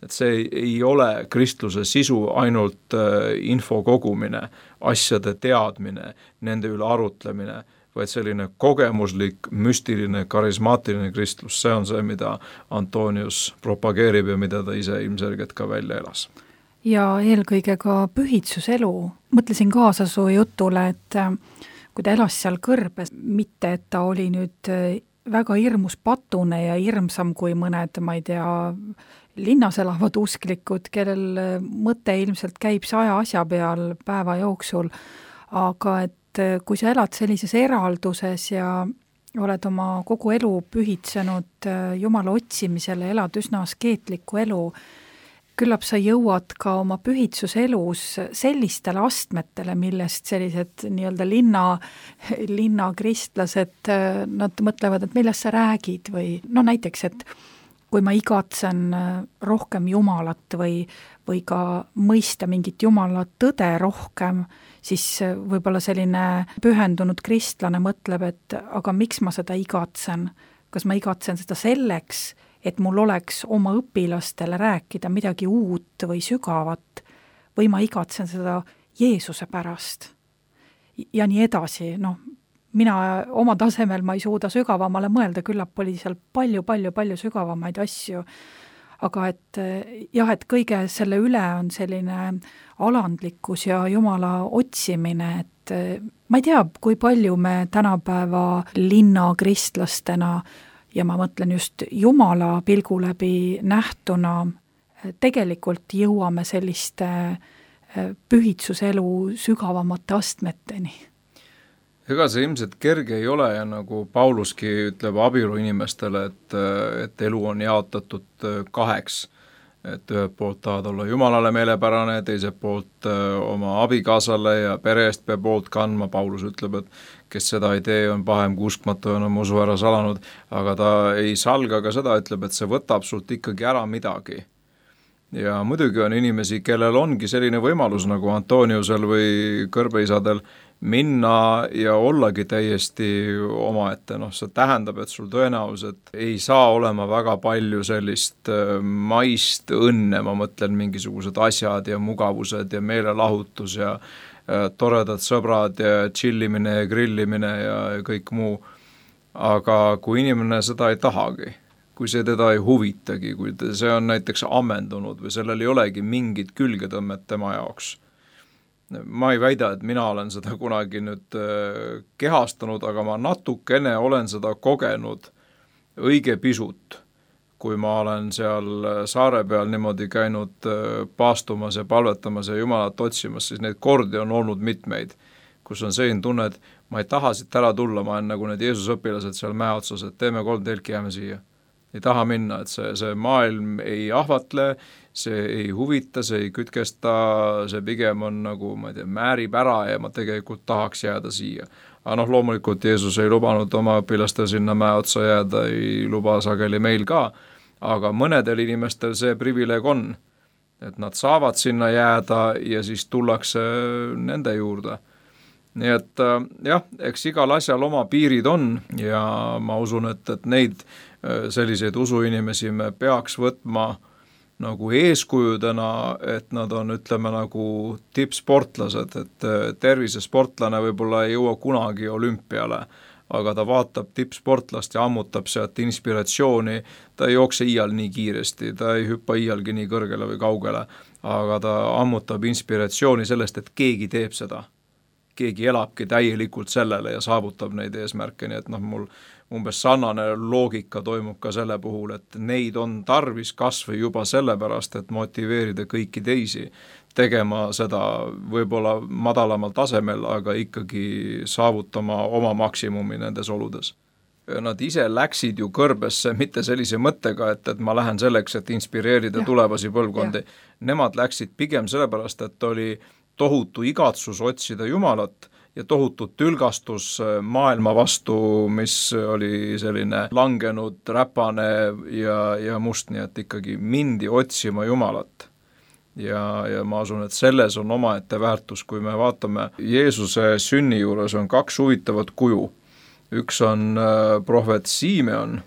Et see ei ole kristluse sisu ainult info kogumine, asjade teadmine, nende üle arutlemine, vaid selline kogemuslik, müstiline, karismaatiline kristlus, see on see, mida Antonius propageerib ja mida ta ise ilmselgelt ka välja elas. Ja eelkõige ka pühitsuselu. Mõtlesin kaasa su jutule, et kui ta elas seal kõrbes, mitte et ta oli nüüd väga hirmus patune ja hirmsam kui mõned, ma ei tea, linnas elavad usklikud, kellel mõte ilmselt käib 100 asja peal päeva jooksul, aga et kui sa elad sellises eralduses ja oled oma kogu elu pühitsenud Jumala otsimisele, elad üsna askeetlikku elu, küllap sa jõuad ka oma pühitsuselus sellistele astmetele, millest sellised nii-öelda linnakristlased, nad mõtlevad, et millest sa räägid või näiteks, et kui ma igatsen rohkem Jumalat või ka mõista mingit Jumala tõde rohkem, siis võib-olla selline pühendunud kristlane mõtleb, et aga miks ma seda igatsen? Kas ma igatsen seda selleks, et mul oleks oma õpilastele rääkida midagi uut või sügavat, või ma igatsen seda Jeesuse pärast. Ja nii edasi, mina oma tasemel ma ei suuda sügavamale mõelda, küllap oli seal palju sügavamaid asju, aga et kõige selle üle on selline alandlikkus ja Jumala otsimine, et ma ei tea, kui palju me tänapäeva linnakristlastena ja ma mõtlen just Jumala pilgu läbi nähtuna, tegelikult jõuame selliste pühitsuselu sügavamate astmeteni. Ega see ilmselt kerge ei ole ja nagu Pauluski ütleb abielu inimestele, et elu on jaotatud kaheks. Et ühelt poolt tahad olla Jumalale meelepärane, teiselt poolt oma abikaasale ja pere eest peab poolt kandma. Paulus ütleb, et kes seda ei tee, on pahem kui uskmatu ja on oma usu ära salanud, aga ta ei salga ka seda, ütleb, et see võtab sult ikkagi ära midagi. Ja muidugi on inimesi, kellel ongi selline võimalus nagu Antoniusel või kõrbeisadel minna ja ollagi täiesti omaette. See tähendab, et sul tõenäoliselt ei saa olema väga palju sellist maist õnne, ma mõtlen mingisugused asjad ja mugavused ja meelelahutus ja toredad sõbrad ja chillimine ja grillimine ja kõik muu. Aga kui inimene seda ei tahagi, kui see teda ei huvitagi, kui see on näiteks ammendunud või sellel ei olegi mingit külgetõmmet tema jaoks. Ma ei väida, et mina olen seda kunagi nüüd kehastanud, aga ma natukene olen seda kogenud õige pisut, kui ma olen seal saare peal niimoodi käinud paastumas ja palvetamas ja Jumalat otsimas, siis neid kordi on olnud mitmeid, kus on selline tunne, et ma ei taha siit ära tulla, ma olen nagu need Jeesuse õpilased seal mäe otsas, et teeme 3 telki, jääme siia. Ei taha minna, et see maailm ei ahvatle, see ei huvita, see ei kütkesta, see pigem on nagu, ma ei tea, määrib ära ja ma tegelikult tahaks jääda siia. Aga loomulikult Jeesus ei lubanud oma õpilastel sinna mäe otsa jääda, ei luba sageli meil ka, aga mõnedel inimestel see privileeg on, et nad saavad sinna jääda ja siis tullakse nende juurde. Nii et eks igal asjal oma piirid on ja ma usun, et neid selliseid usuinimesi me peaks võtma nagu eeskujudena, et nad on, ütleme, nagu tippsportlased, et tervisesportlane võib-olla ei jõua kunagi olümpiale, aga ta vaatab tippsportlast ja ammutab sealt inspiratsiooni, ta ei jookse iial nii kiiresti, ta ei hüppa iialgi nii kõrgele või kaugele, aga ta ammutab inspiratsiooni sellest, et keegi teeb seda. Keegi elabki täielikult sellele ja saavutab neid eesmärke, nii et mul umbes sarnane loogika toimub ka selle puhul, et neid on tarvis kasvõi juba sellepärast, et motiveerida kõiki teisi tegema seda võib-olla madalamal tasemel, aga ikkagi saavutama oma maksimumi nendes oludes. Nad ise läksid ju kõrbesse mitte sellise mõttega, et ma lähen selleks, et inspireerida tulevasi põlvkondi. Nemad läksid pigem sellepärast, et oli tohutu igatsus otsida Jumalat ja tohutu tülgastus maailma vastu, mis oli selline langenud, räpane ja must, nii et ikkagi mindi otsima Jumalat. Ja ma usun, et selles on omaette väärtus, kui me vaatame Jeesuse sünni juures on 2 huvitavat kuju. Üks on prohvet Simeon,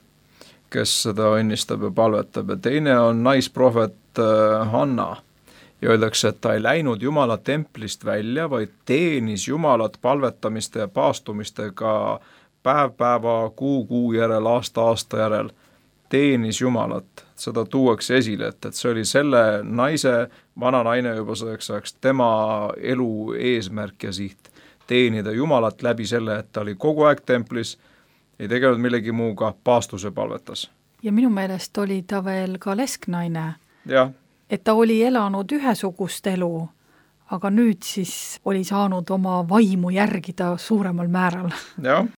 kes seda õnnistab ja palvetab, ja teine on naisprohvet Hanna. Ja öeldakse, et ta ei läinud Jumala templist välja, vaid teenis Jumalat palvetamiste ja paastumistega päev kuu järel, aasta järel. Teenis Jumalat, seda tuuakse esile, et see oli selle naise, vana naine juba selleks ajaks, tema elu eesmärk ja siht. Teenida Jumalat läbi selle, et ta oli kogu aeg templis, ei tegelenud millegi muuga, paastuse palvetas. Ja minu meelest oli ta veel ka lesknaine. Jah. Et ta oli elanud ühesugust elu, aga nüüd siis oli saanud oma vaimu järgida suuremal määral. Jah.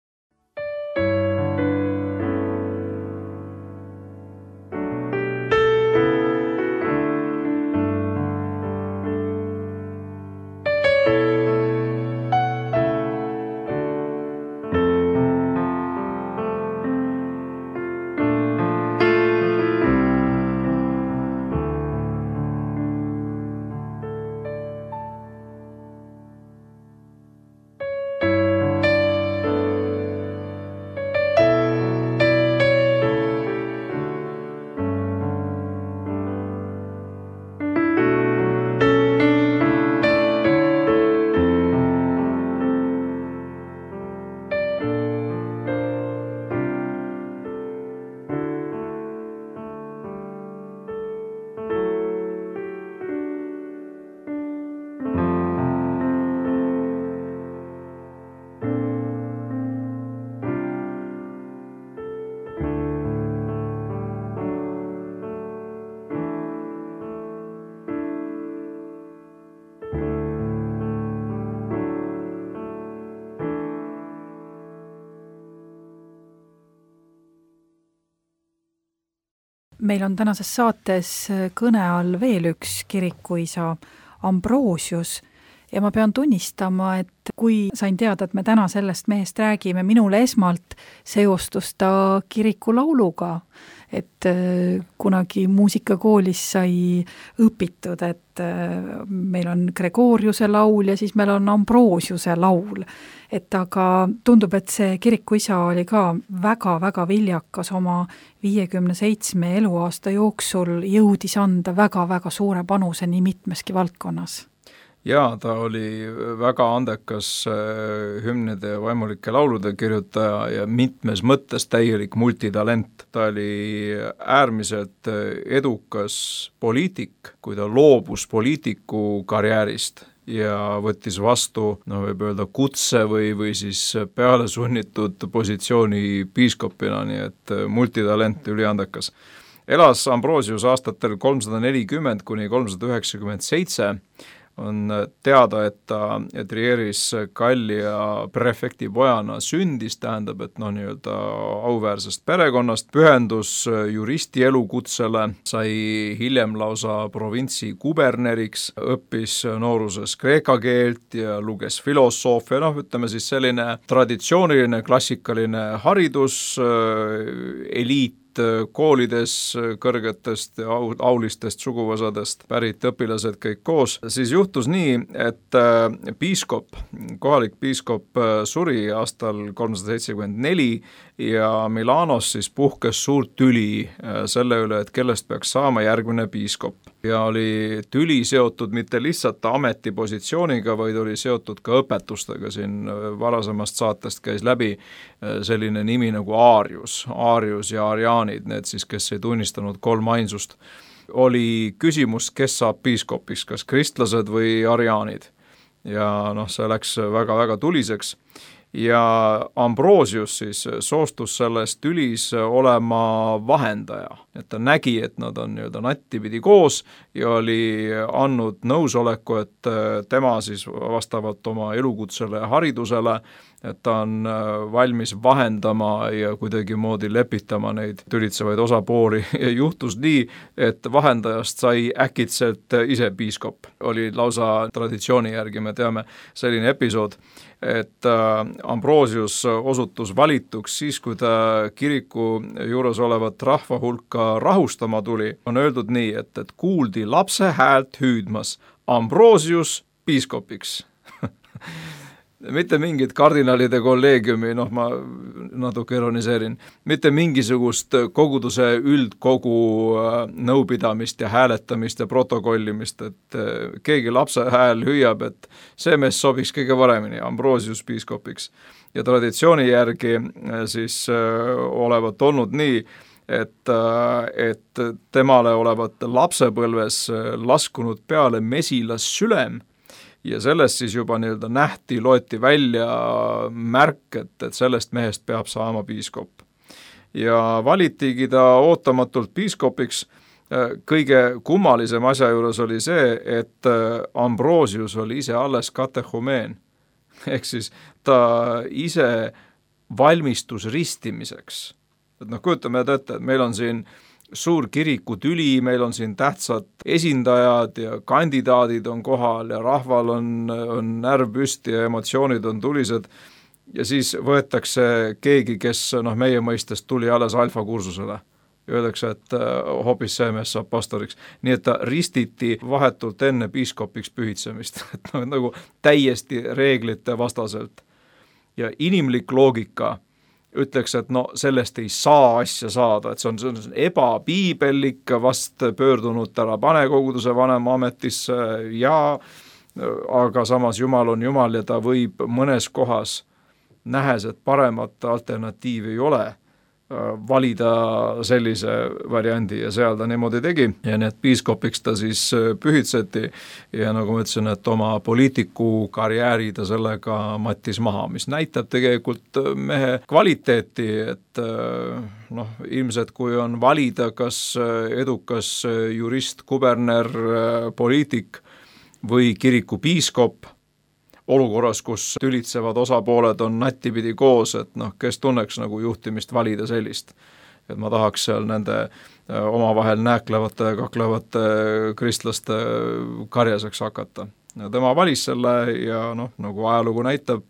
meil on tänases saates kõne all veel üks kirikuisa Ambrosius ja ma pean tunnistama, et kui sain teada, et me täna sellest mehest räägime, minule esmalt seostus ta kirikulauluga, et kunagi muusikakoolis sai õpitud, et meil on Gregoriuse laul ja siis meil on Ambrosiuse laul. Et aga tundub, et see kirikuisa oli ka väga-väga viljakas oma 57 eluaasta jooksul, jõudis anda väga-väga suure panuse nii mitmeski valdkonnas. Jaa, ta oli väga andekas hümnide ja vaimulike laulude kirjutaja ja mitmes mõttes täielik multitalent. Ta oli äärmiselt edukas poliitik, kui ta loobus poliitiku karjäärist ja võttis vastu, võib öelda kutse või siis peale sunnitud positsiooni piiskopina, nii et multitalent üliandekas. Elas Ambrosius aastatel 340 kuni 397, on teada, et ta Trieris Gallia prefekti pojana sündis, tähendab, et nii-öelda auväärsest perekonnast, pühendus juristi elukutsele, sai hiljem lausa provintsi kuberneriks, õppis nooruses kreeka keelt ja luges filosoofia, ütleme siis selline traditsiooniline klassikaline haridus, eliit, koolides kõrgetest ja aulistest suguvõsadest pärit õpilased kõik koos, siis juhtus nii, et piiskop, kohalik piiskop suri aastal 374 ja Milanos siis puhkes suurt tüli selle üle, et kellest peaks saama järgmine piiskop. Ja oli tüli seotud mitte lihtsalt ametipositsiooniga, vaid oli seotud ka õpetustega. Siin varasemast saatest käis läbi selline nimi nagu Aarius ja Ariaanid, need siis, kes ei tunnistanud kolmainsust. Oli küsimus, kes saab piiskopiks, kas kristlased või ariaanid. Ja see läks väga-väga tuliseks. Ja Ambrosius siis soostus selles tülis olema vahendaja, et ta nägi, et nad on nattipidi koos ja oli andnud nõusoleku, et tema siis vastavalt oma elukutsele ja haridusele, et ta on valmis vahendama ja kuidagi moodi lepitama neid tülitsevaid osapooli ja juhtus nii, et vahendajast sai äkitselt ise piiskop. Oli lausa traditsiooni järgi, me teame selline episood, et Ambrosius osutus valituks siis, kui ta kiriku juures olevat rahva hulka rahustama tuli, on öeldud nii, et kuuldi lapse häält hüüdmas Ambrosius piiskopiks. Mitte mingit kardinaalide kolleegiumi, ma natuke ironiseerin, mitte mingisugust koguduse üldkogu nõupidamist ja hääletamist ja protokollimist, et keegi lapse hääl hüüab, et see mees sobiks kõige paremini Ambrosius piiskopiks. Ja traditsiooni järgi siis olevat olnud nii, et temale olevat lapsepõlves laskunud peale mesilas sülem, ja sellest siis juba loeti välja märk, et sellest mehest peab saama piiskop. Ja valitigi ta ootamatult piiskopiks. Kõige kummalisem asja juures oli see, et Ambrosius oli ise alles katehumeen. Ehk siis ta ise valmistus ristimiseks. Et kujutame ette, et meil on siin suur kirikutüli, meil on siin tähtsad esindajad ja kandidaadid on kohal ja rahval on närv püsti ja emotsioonid on tulised ja siis võetakse keegi, kes meie mõistest tuli alles alfakursusele. Öeldakse, et hoopis see mees saab pastoriks. Nii et ta ristiti vahetult enne piiskopiks pühitsemist, et nagu täiesti reeglite vastaselt. Ja inimlik loogika ütleks, et sellest ei saa asja saada, et see on ebapiibellik, vast pöördunud ära panekoguduse vanema ametisse aga samas Jumal on Jumal ja ta võib mõnes kohas, nähes, et paremat alternatiivi ei ole, valida sellise variandi ja seal ta niimoodi tegi ja need piiskopiks ta siis pühitseti ja nagu ma ütlesin, et oma poliitiku karjääri ta sellega mattis maha, mis näitab tegelikult mehe kvaliteeti, et ilmselt kui on valida kas edukas jurist, kuberner, poliitik või kiriku piiskop, olukorras, kus tülitsevad osapooled on nattipidi koos, et kes tunneks nagu juhtimist valida sellist. et ma tahaks seal nende omavahel nääklevate, kaklevate kristlaste karjaseks hakata. Tema valis selle ja nagu ajalugu näitab,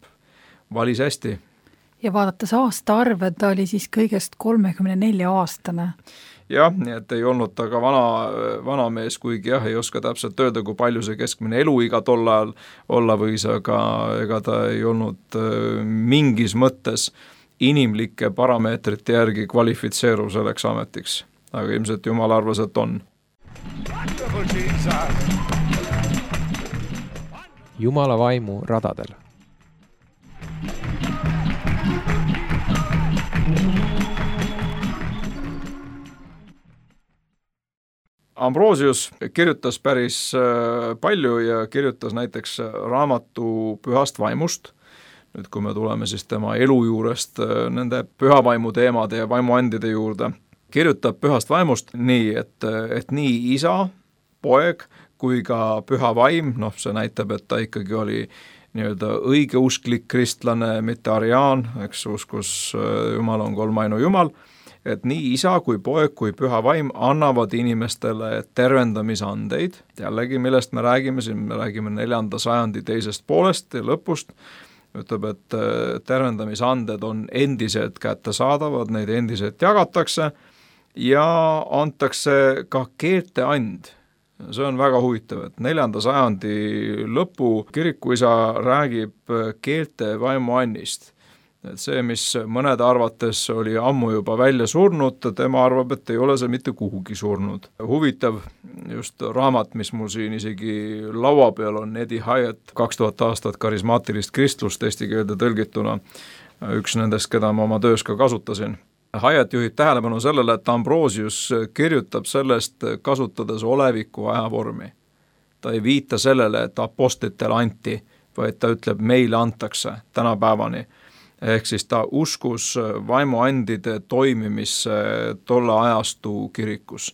valis hästi. Ja vaadates aastaarve, ta oli siis kõigest 34-aastane. Jah, nii et ei olnud ta ka vana mees, kuigi ei oska täpselt öelda, kui palju see keskmine eluiga tol ajal olla võis, aga ega ta ei olnud mingis mõttes inimlike parameetrite järgi kvalifitseeruv selleks ametiks. Aga ilmselt Jumal arvas, et on. Jumala vaimu radadel. Ambrosius kirjutas päris palju ja kirjutas näiteks raamatu Pühast vaimust. Nüüd, kui me tuleme siis tema elu juurest nende pühavaimu teemade ja vaimuandide juurde, kirjutab Pühast vaimust nii, et nii isa, poeg kui ka püha vaim, see näitab, et ta ikkagi oli nii-öelda õigeusklik kristlane, mitte ariaan, eks uskus Jumal on kolmainu Jumal, et nii isa kui poeg kui püha vaim annavad inimestele tervendamisandeid, jällegi millest me räägime, siin me räägime 4. sajandi teisest poolest ja lõpust, ütleb, et tervendamisanded on endiselt kättesaadavad, neid endiselt jagatakse ja antakse ka keelteand. See on väga huvitav, et 4. sajandi lõpu kirikuisa räägib keelte vaimuannist. Et see, mis mõnede arvates oli ammu juba välja surnud, tema arvab, et ei ole see mitte kuhugi surnud. Huvitav just raamat, mis mul siin isegi laua peal on, Eddie Hyatt, 2000 aastat karismaatilist kristlust eesti keelde tõlgituna, üks nendest, keda ma oma töös ka kasutasin. Hyatt juhib tähelepanu sellele, et Ambrosius kirjutab sellest kasutades oleviku ajavormi. Ta ei viita sellele, et apostlitele anti, vaid ta ütleb, meile antakse tänapäevani. Ehk siis ta uskus vaimuandide toimimisse tolle ajastu kirikus.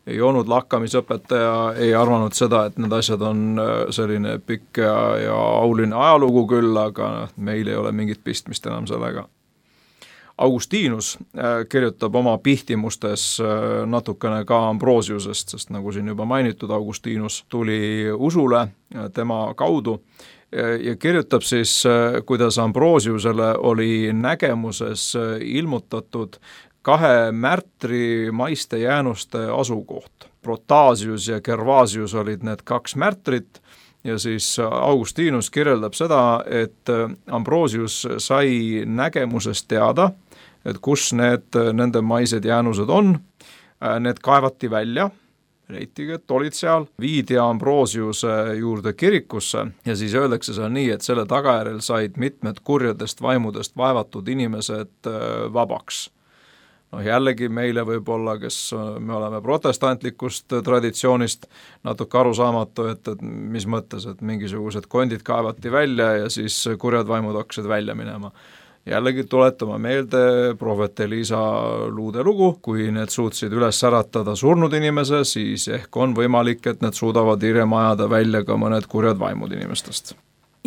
Ei olnud lakkamisõpetaja, ei arvanud seda, et need asjad on selline pikk ja auline ajalugu küll, aga meil ei ole mingit pistmist enam sellega. Augustinus kirjutab oma pihtimustes natukene ka Ambrosiusest, sest nagu siin juba mainitud, Augustinus tuli usule tema kaudu ja kirjutab siis, kuidas Ambrosiusele oli nägemuses ilmutatud 2 märtri maiste jäänuste asukoht. Protasius ja Gervasius olid need 2 märtrit ja siis Augustinus kirjeldab seda, et Ambrosius sai nägemusest teada, et kus nende maised jäänused on, need kaevati välja, leitigi, et olid seal, viidi Ambrosiuse juurde kirikusse ja siis öeldakse seal nii, et selle tagajärjel said mitmed kurjadest vaimudest vaevatud inimesed vabaks. Jällegi meile võib-olla, kes me oleme protestantlikust traditsioonist natuke arusaamatu, et mis mõttes, et mingisugused kondid kaevati välja ja siis kurjad vaimud hakkasid välja minema. Jällegi tuletame meelde prohvet Elisa luudelugu, kui need suutsid üles äratada surnud inimese, siis ehk on võimalik, et need suudavad hiljem ajada välja ka mõned kurjad vaimud inimestest.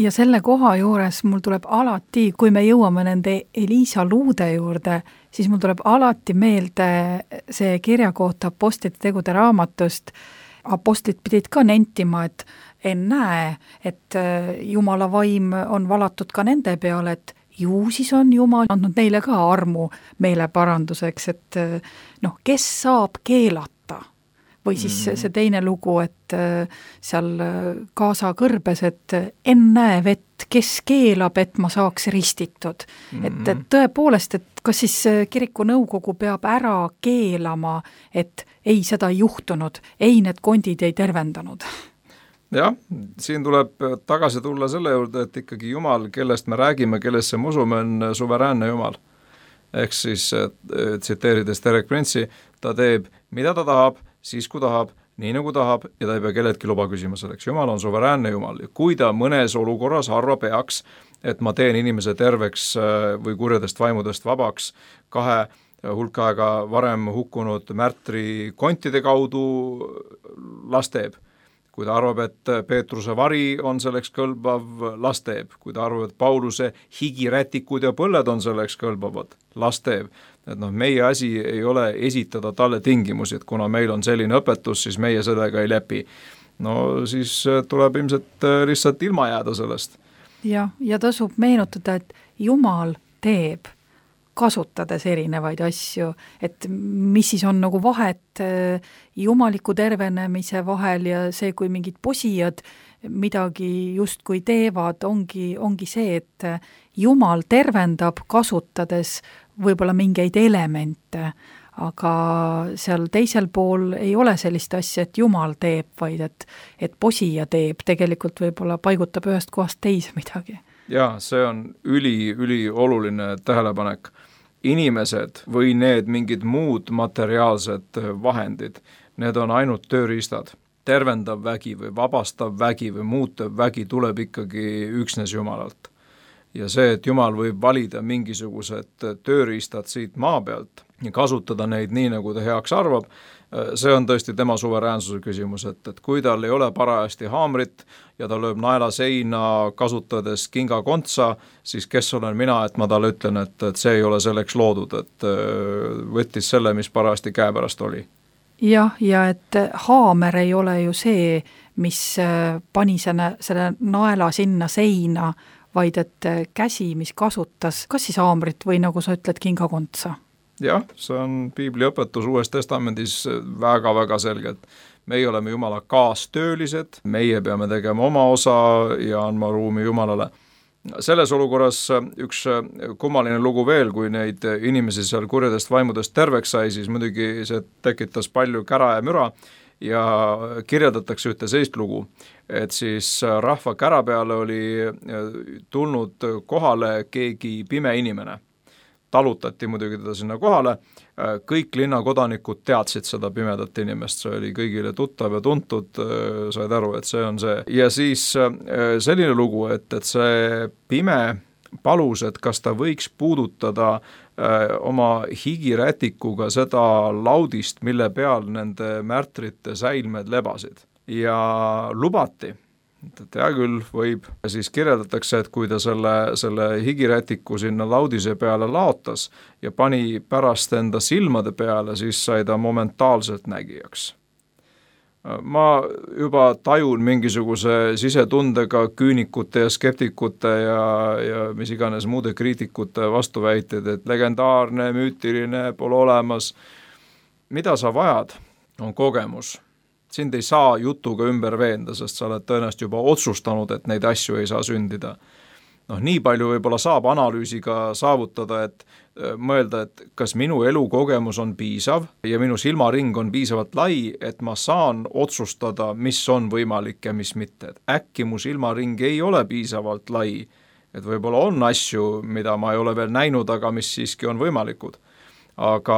Ja selle koha juures mul tuleb alati, kui me jõuame nende Elisa luude juurde, siis mul tuleb alati meelde see kirja kohta apostlite tegude raamatust. Apostlid pidid ka nentima, et ennäe, et Jumala vaim on valatud ka nende peale, et ju siis on Jumal andnud neile ka armu meile paranduseks, et kes saab keelata? Või siis see teine lugu, et seal Kaasa kõrbes, et ennäe vett, kes keelab, et ma saaks ristitud. Et tõepoolest, et kas siis kiriku nõukogu peab ära keelama, et ei seda ei juhtunud, ei need kondid ei tervendanud. Jah, siin tuleb tagasi tulla selle juurde, et ikkagi Jumal, kellest me räägime, kellesse me usume, on suveräänne Jumal. Ehk siis, tsiteerides Derek Prince'i, ta teeb, mida ta tahab, siis kui tahab, nii nagu tahab ja ta ei pea kelledki luba küsima selleks. Jumal on suveräänne Jumal ja kui ta mõnes olukorras harva peaks, et ma teen inimese terveks või kurjadest vaimudest vabaks 2 hulka aega varem hukkunud märtri kontide kaudu las teeb. kui ta arvab, et Peetruse vari on selleks kõlbav, las teeb. Kui ta arvab, et Pauluse higirätikud ja põlled on selleks kõlbavad, las teeb. Et meie asi ei ole esitada talle tingimusi, et kuna meil on selline õpetus, siis meie sellega ei lepi. No siis tuleb ilmselt lihtsalt ilma jääda sellest. Ja tasub meenutada, et Jumal teeb, kasutades erinevaid asju, et mis siis on nagu vahet jumaliku tervenemise vahel ja see, kui mingid posijad midagi justkui teevad, ongi see, et Jumal tervendab, kasutades võib-olla mingeid elemente, aga seal teisel pool ei ole sellist asja, et Jumal teeb, vaid et posija teeb, tegelikult võib-olla paigutab ühest kohast teise midagi. Jaa, see on üli oluline tähelepanek. Inimesed või need mingid muud materiaalsed vahendid, need on ainult tööriistad. Tervendav vägi või vabastav vägi või muutev vägi tuleb ikkagi üksnes Jumalalt. Ja see, et Jumal võib valida mingisugused tööriistad siit maa pealt ja kasutada neid nii, nagu ta heaks arvab, see on tõesti tema suveräänsuse küsimus, et kui tal ei ole parajasti haamrit ja ta lööb naela seina kasutades kingakontsa, siis kes olen mina, et ma talle ütlen, et see ei ole selleks loodud, et võttis selle, mis parajasti käepärast oli. Ja et haamer ei ole ju see, mis pani selle naela sinna seina, vaid et käsi, mis kasutas kas siis haamrit või nagu sa ütled, kingakontsa. Jah, see on piibli õpetus Uues Testamendis väga-väga selgelt. Meie oleme Jumala kaastöölised, meie peame tegema oma osa ja andma ruumi Jumalale. Selles olukorras üks kummaline lugu veel, kui neid inimesi seal kurjadest vaimudest terveks sai, siis muidugi see tekitas palju kära ja müra ja kirjeldatakse ühte sellist lugu, et siis rahva kära peale oli tulnud kohale keegi pime inimene. Talutati muidugi teda sinna kohale, kõik linnakodanikud teadsid seda pimedat inimest, see oli kõigile tuttav ja tuntud, said aru, et see on see. Ja siis selline lugu, et see pime palus, et kas ta võiks puudutada oma higirätikuga seda laudist, mille peal nende märtrite säilmed lebasid. Ja lubati, et hea küll võib, siis kirjeldatakse, et kui ta selle higirätiku sinna laudise peale laotas ja pani pärast enda silmade peale, siis sai ta momentaalselt nägijaks. Ma juba tajun mingisuguse sisetundega küünikute ja skeptikute ja mis iganes muude kriitikute vastuväited, et legendaarne, müütiline, pole olemas. Mida sa vajad, on kogemus. Sind ei saa jutuga ümber veenda, sest sa oled tõenäoliselt juba otsustanud, et neid asju ei saa sündida. Nii palju võib-olla saab analüüsiga saavutada, et mõelda, et kas minu elukogemus on piisav ja minu silmaring on piisavalt lai, et ma saan otsustada, mis on võimalik ja mis mitte. Et äkki mu silmaring ei ole piisavalt lai, et võib-olla on asju, mida ma ei ole veel näinud, aga mis siiski on võimalikud. Aga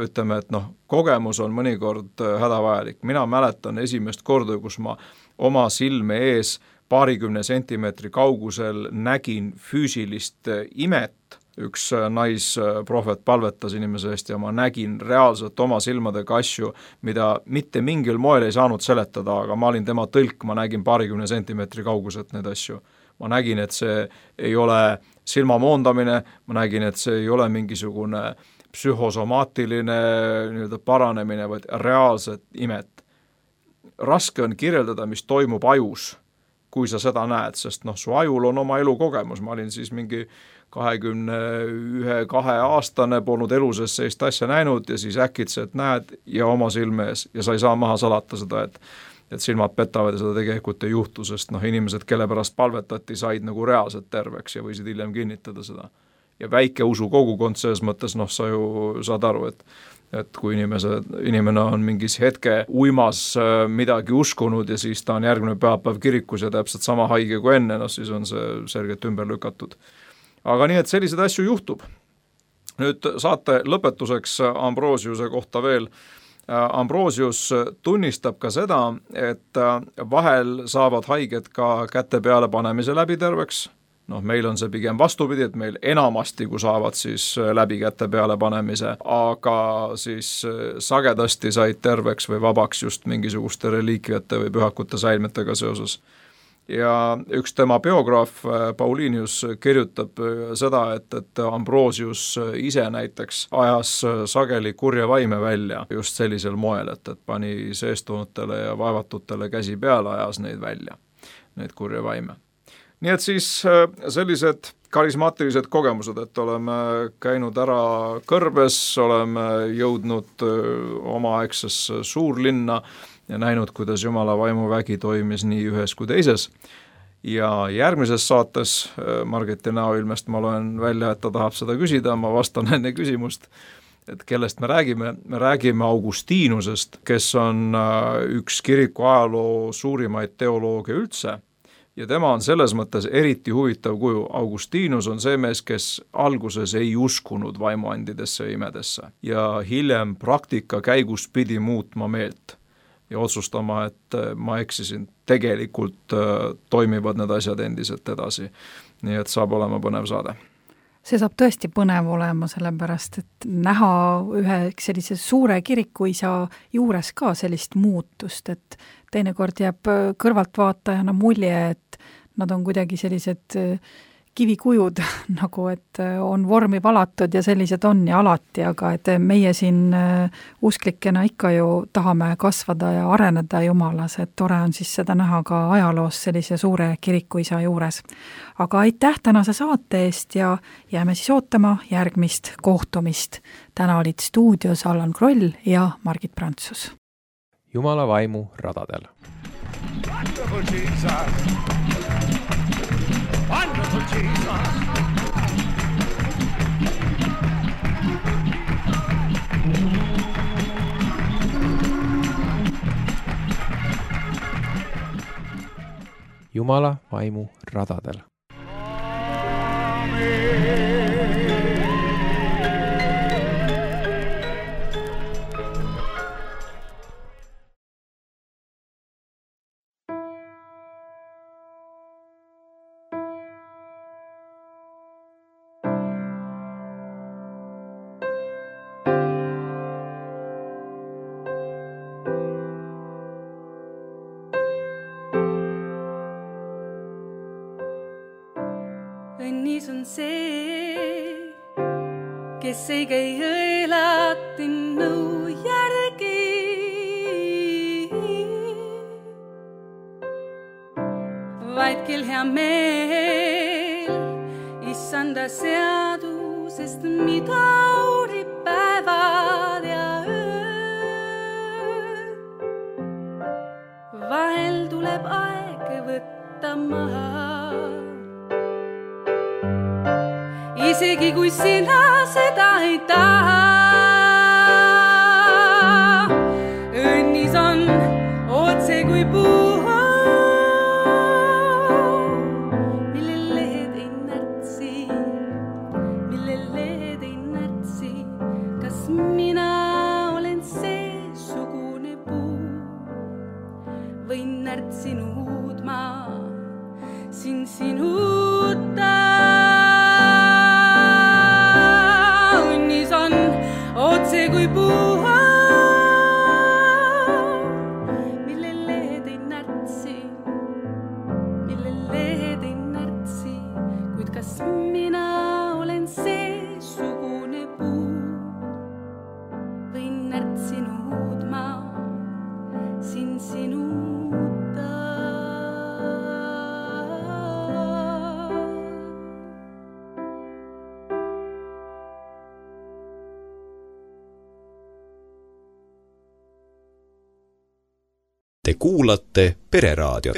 ütleme, et kogemus on mõnikord hädavajalik. Mina mäletan esimest korda, kus ma oma silme ees 20 sentimeetri kaugusel nägin füüsilist imet. Üks naisprohvet palvetas inimese eest ja ma nägin reaalselt oma silmadega asju, mida mitte mingil moel ei saanud seletada, aga ma olin tema tõlk, ma nägin 20 sentimeetri kauguselt neid asju. Ma nägin, et see ei ole silmamoondamine, ma nägin, et see ei ole mingisugune psühhosomaatiline paranemine, vaid reaalset imet. Raske on kirjeldada, mis toimub ajus, kui sa seda näed, sest su ajul on oma elukogemus. Ma olin siis mingi 21-2 aastane, polnud eluses sellist asja näinud ja siis äkitselt näed ja oma silme ees ja sa ei saa maha salata seda, et silmad petavad ja seda tegelikult ei juhtu, sest inimesed, kelle pärast palvetati, said nagu reaalselt terveks ja võisid hiljem kinnitada seda. Ja väike usu kogukond selles mõttes, sa ju saad aru, et kui inimene on mingis hetke uimas midagi uskunud ja siis ta on järgmine pühapäev kirikus ja täpselt sama haige kui enne, siis on see selgelt ümber lükatud. Aga nii, et selliseid asju juhtub. Nüüd saate lõpetuseks Ambrosiuse kohta veel. Ambrosius tunnistab ka seda, et vahel saavad haiged ka käte peale panemise läbi terveks. meil on see pigem vastupidi, et meil enamasti, kui saavad siis läbi käte peale panemise, aga siis sagedasti said terveks või vabaks just mingisuguste reliikviate või pühakute säilmetega seoses. Ja üks tema biograaf Paulinius kirjutab seda, et Ambrosius ise näiteks ajas sageli kurja vaime välja just sellisel moel, et pani seestunutele ja vaevatutele käsi peale, ajas neid välja, neid kurja vaime. Nii et siis sellised karismaatilised kogemused, et oleme käinud ära Kõrbes, oleme jõudnud omaaegsesse suurlinna ja näinud, kuidas Jumala vaimuvägi toimis nii ühes kui teises. Ja järgmises saates Margiti näoilmest ma loen välja, et ta tahab seda küsida, ma vastan enne küsimust, et kellest me räägime. Me räägime Augustinusest, kes on üks kiriku ajaloo suurimaid teolooge üldse. Ja tema on selles mõttes eriti huvitav kuju. Augustinus on see mees, kes alguses ei uskunud vaimuandidesse ja imedesse ja hiljem praktika käigus pidi muutma meelt ja otsustama, et ma eksisin. Tegelikult toimivad need asjad endiselt edasi. Nii et saab olema põnev saade. See saab tõesti põnev olema, sellepärast, et näha ühe sellise suure kirikuisa juures ka sellist muutust, et teinekord jääb kõrvaltvaatajana mulje, et nad on kuidagi sellised kivikujud, nagu et on vormi valatud ja sellised on ja alati, aga et meie siin usklikena ikka ju tahame kasvada ja areneda Jumalas, et tore on siis seda näha ka ajaloos sellise suure kirikuisa juures. Aga aitäh tänase saate eest ja jääme siis ootama järgmist kohtumist. Täna olid stuudios Allan Kroll ja Margit Prantsus. Jumala vaimu radadel. Wonderful Jesus. Wonderful Jesus. Jumala vaimu radadel. Õnnis on see, kes ei käi õelati nõu järgi, vaid kel hea meel issanda seadusest, mida uurib päevad ja öö. Vahel tuleb aeg võtta maha, isegi kui sina seda ei taha. Õnnis on otse kui puu, millel lehed ei närtsi. Kas mina olen seesugune puu või närtsinud ma siin sinuta? Otse kui puu, millel lehed ei närtsi, kuid kas mina olen seesugune puu või närtsinud ma siin sinuta? Te kuulate Pereraadiot.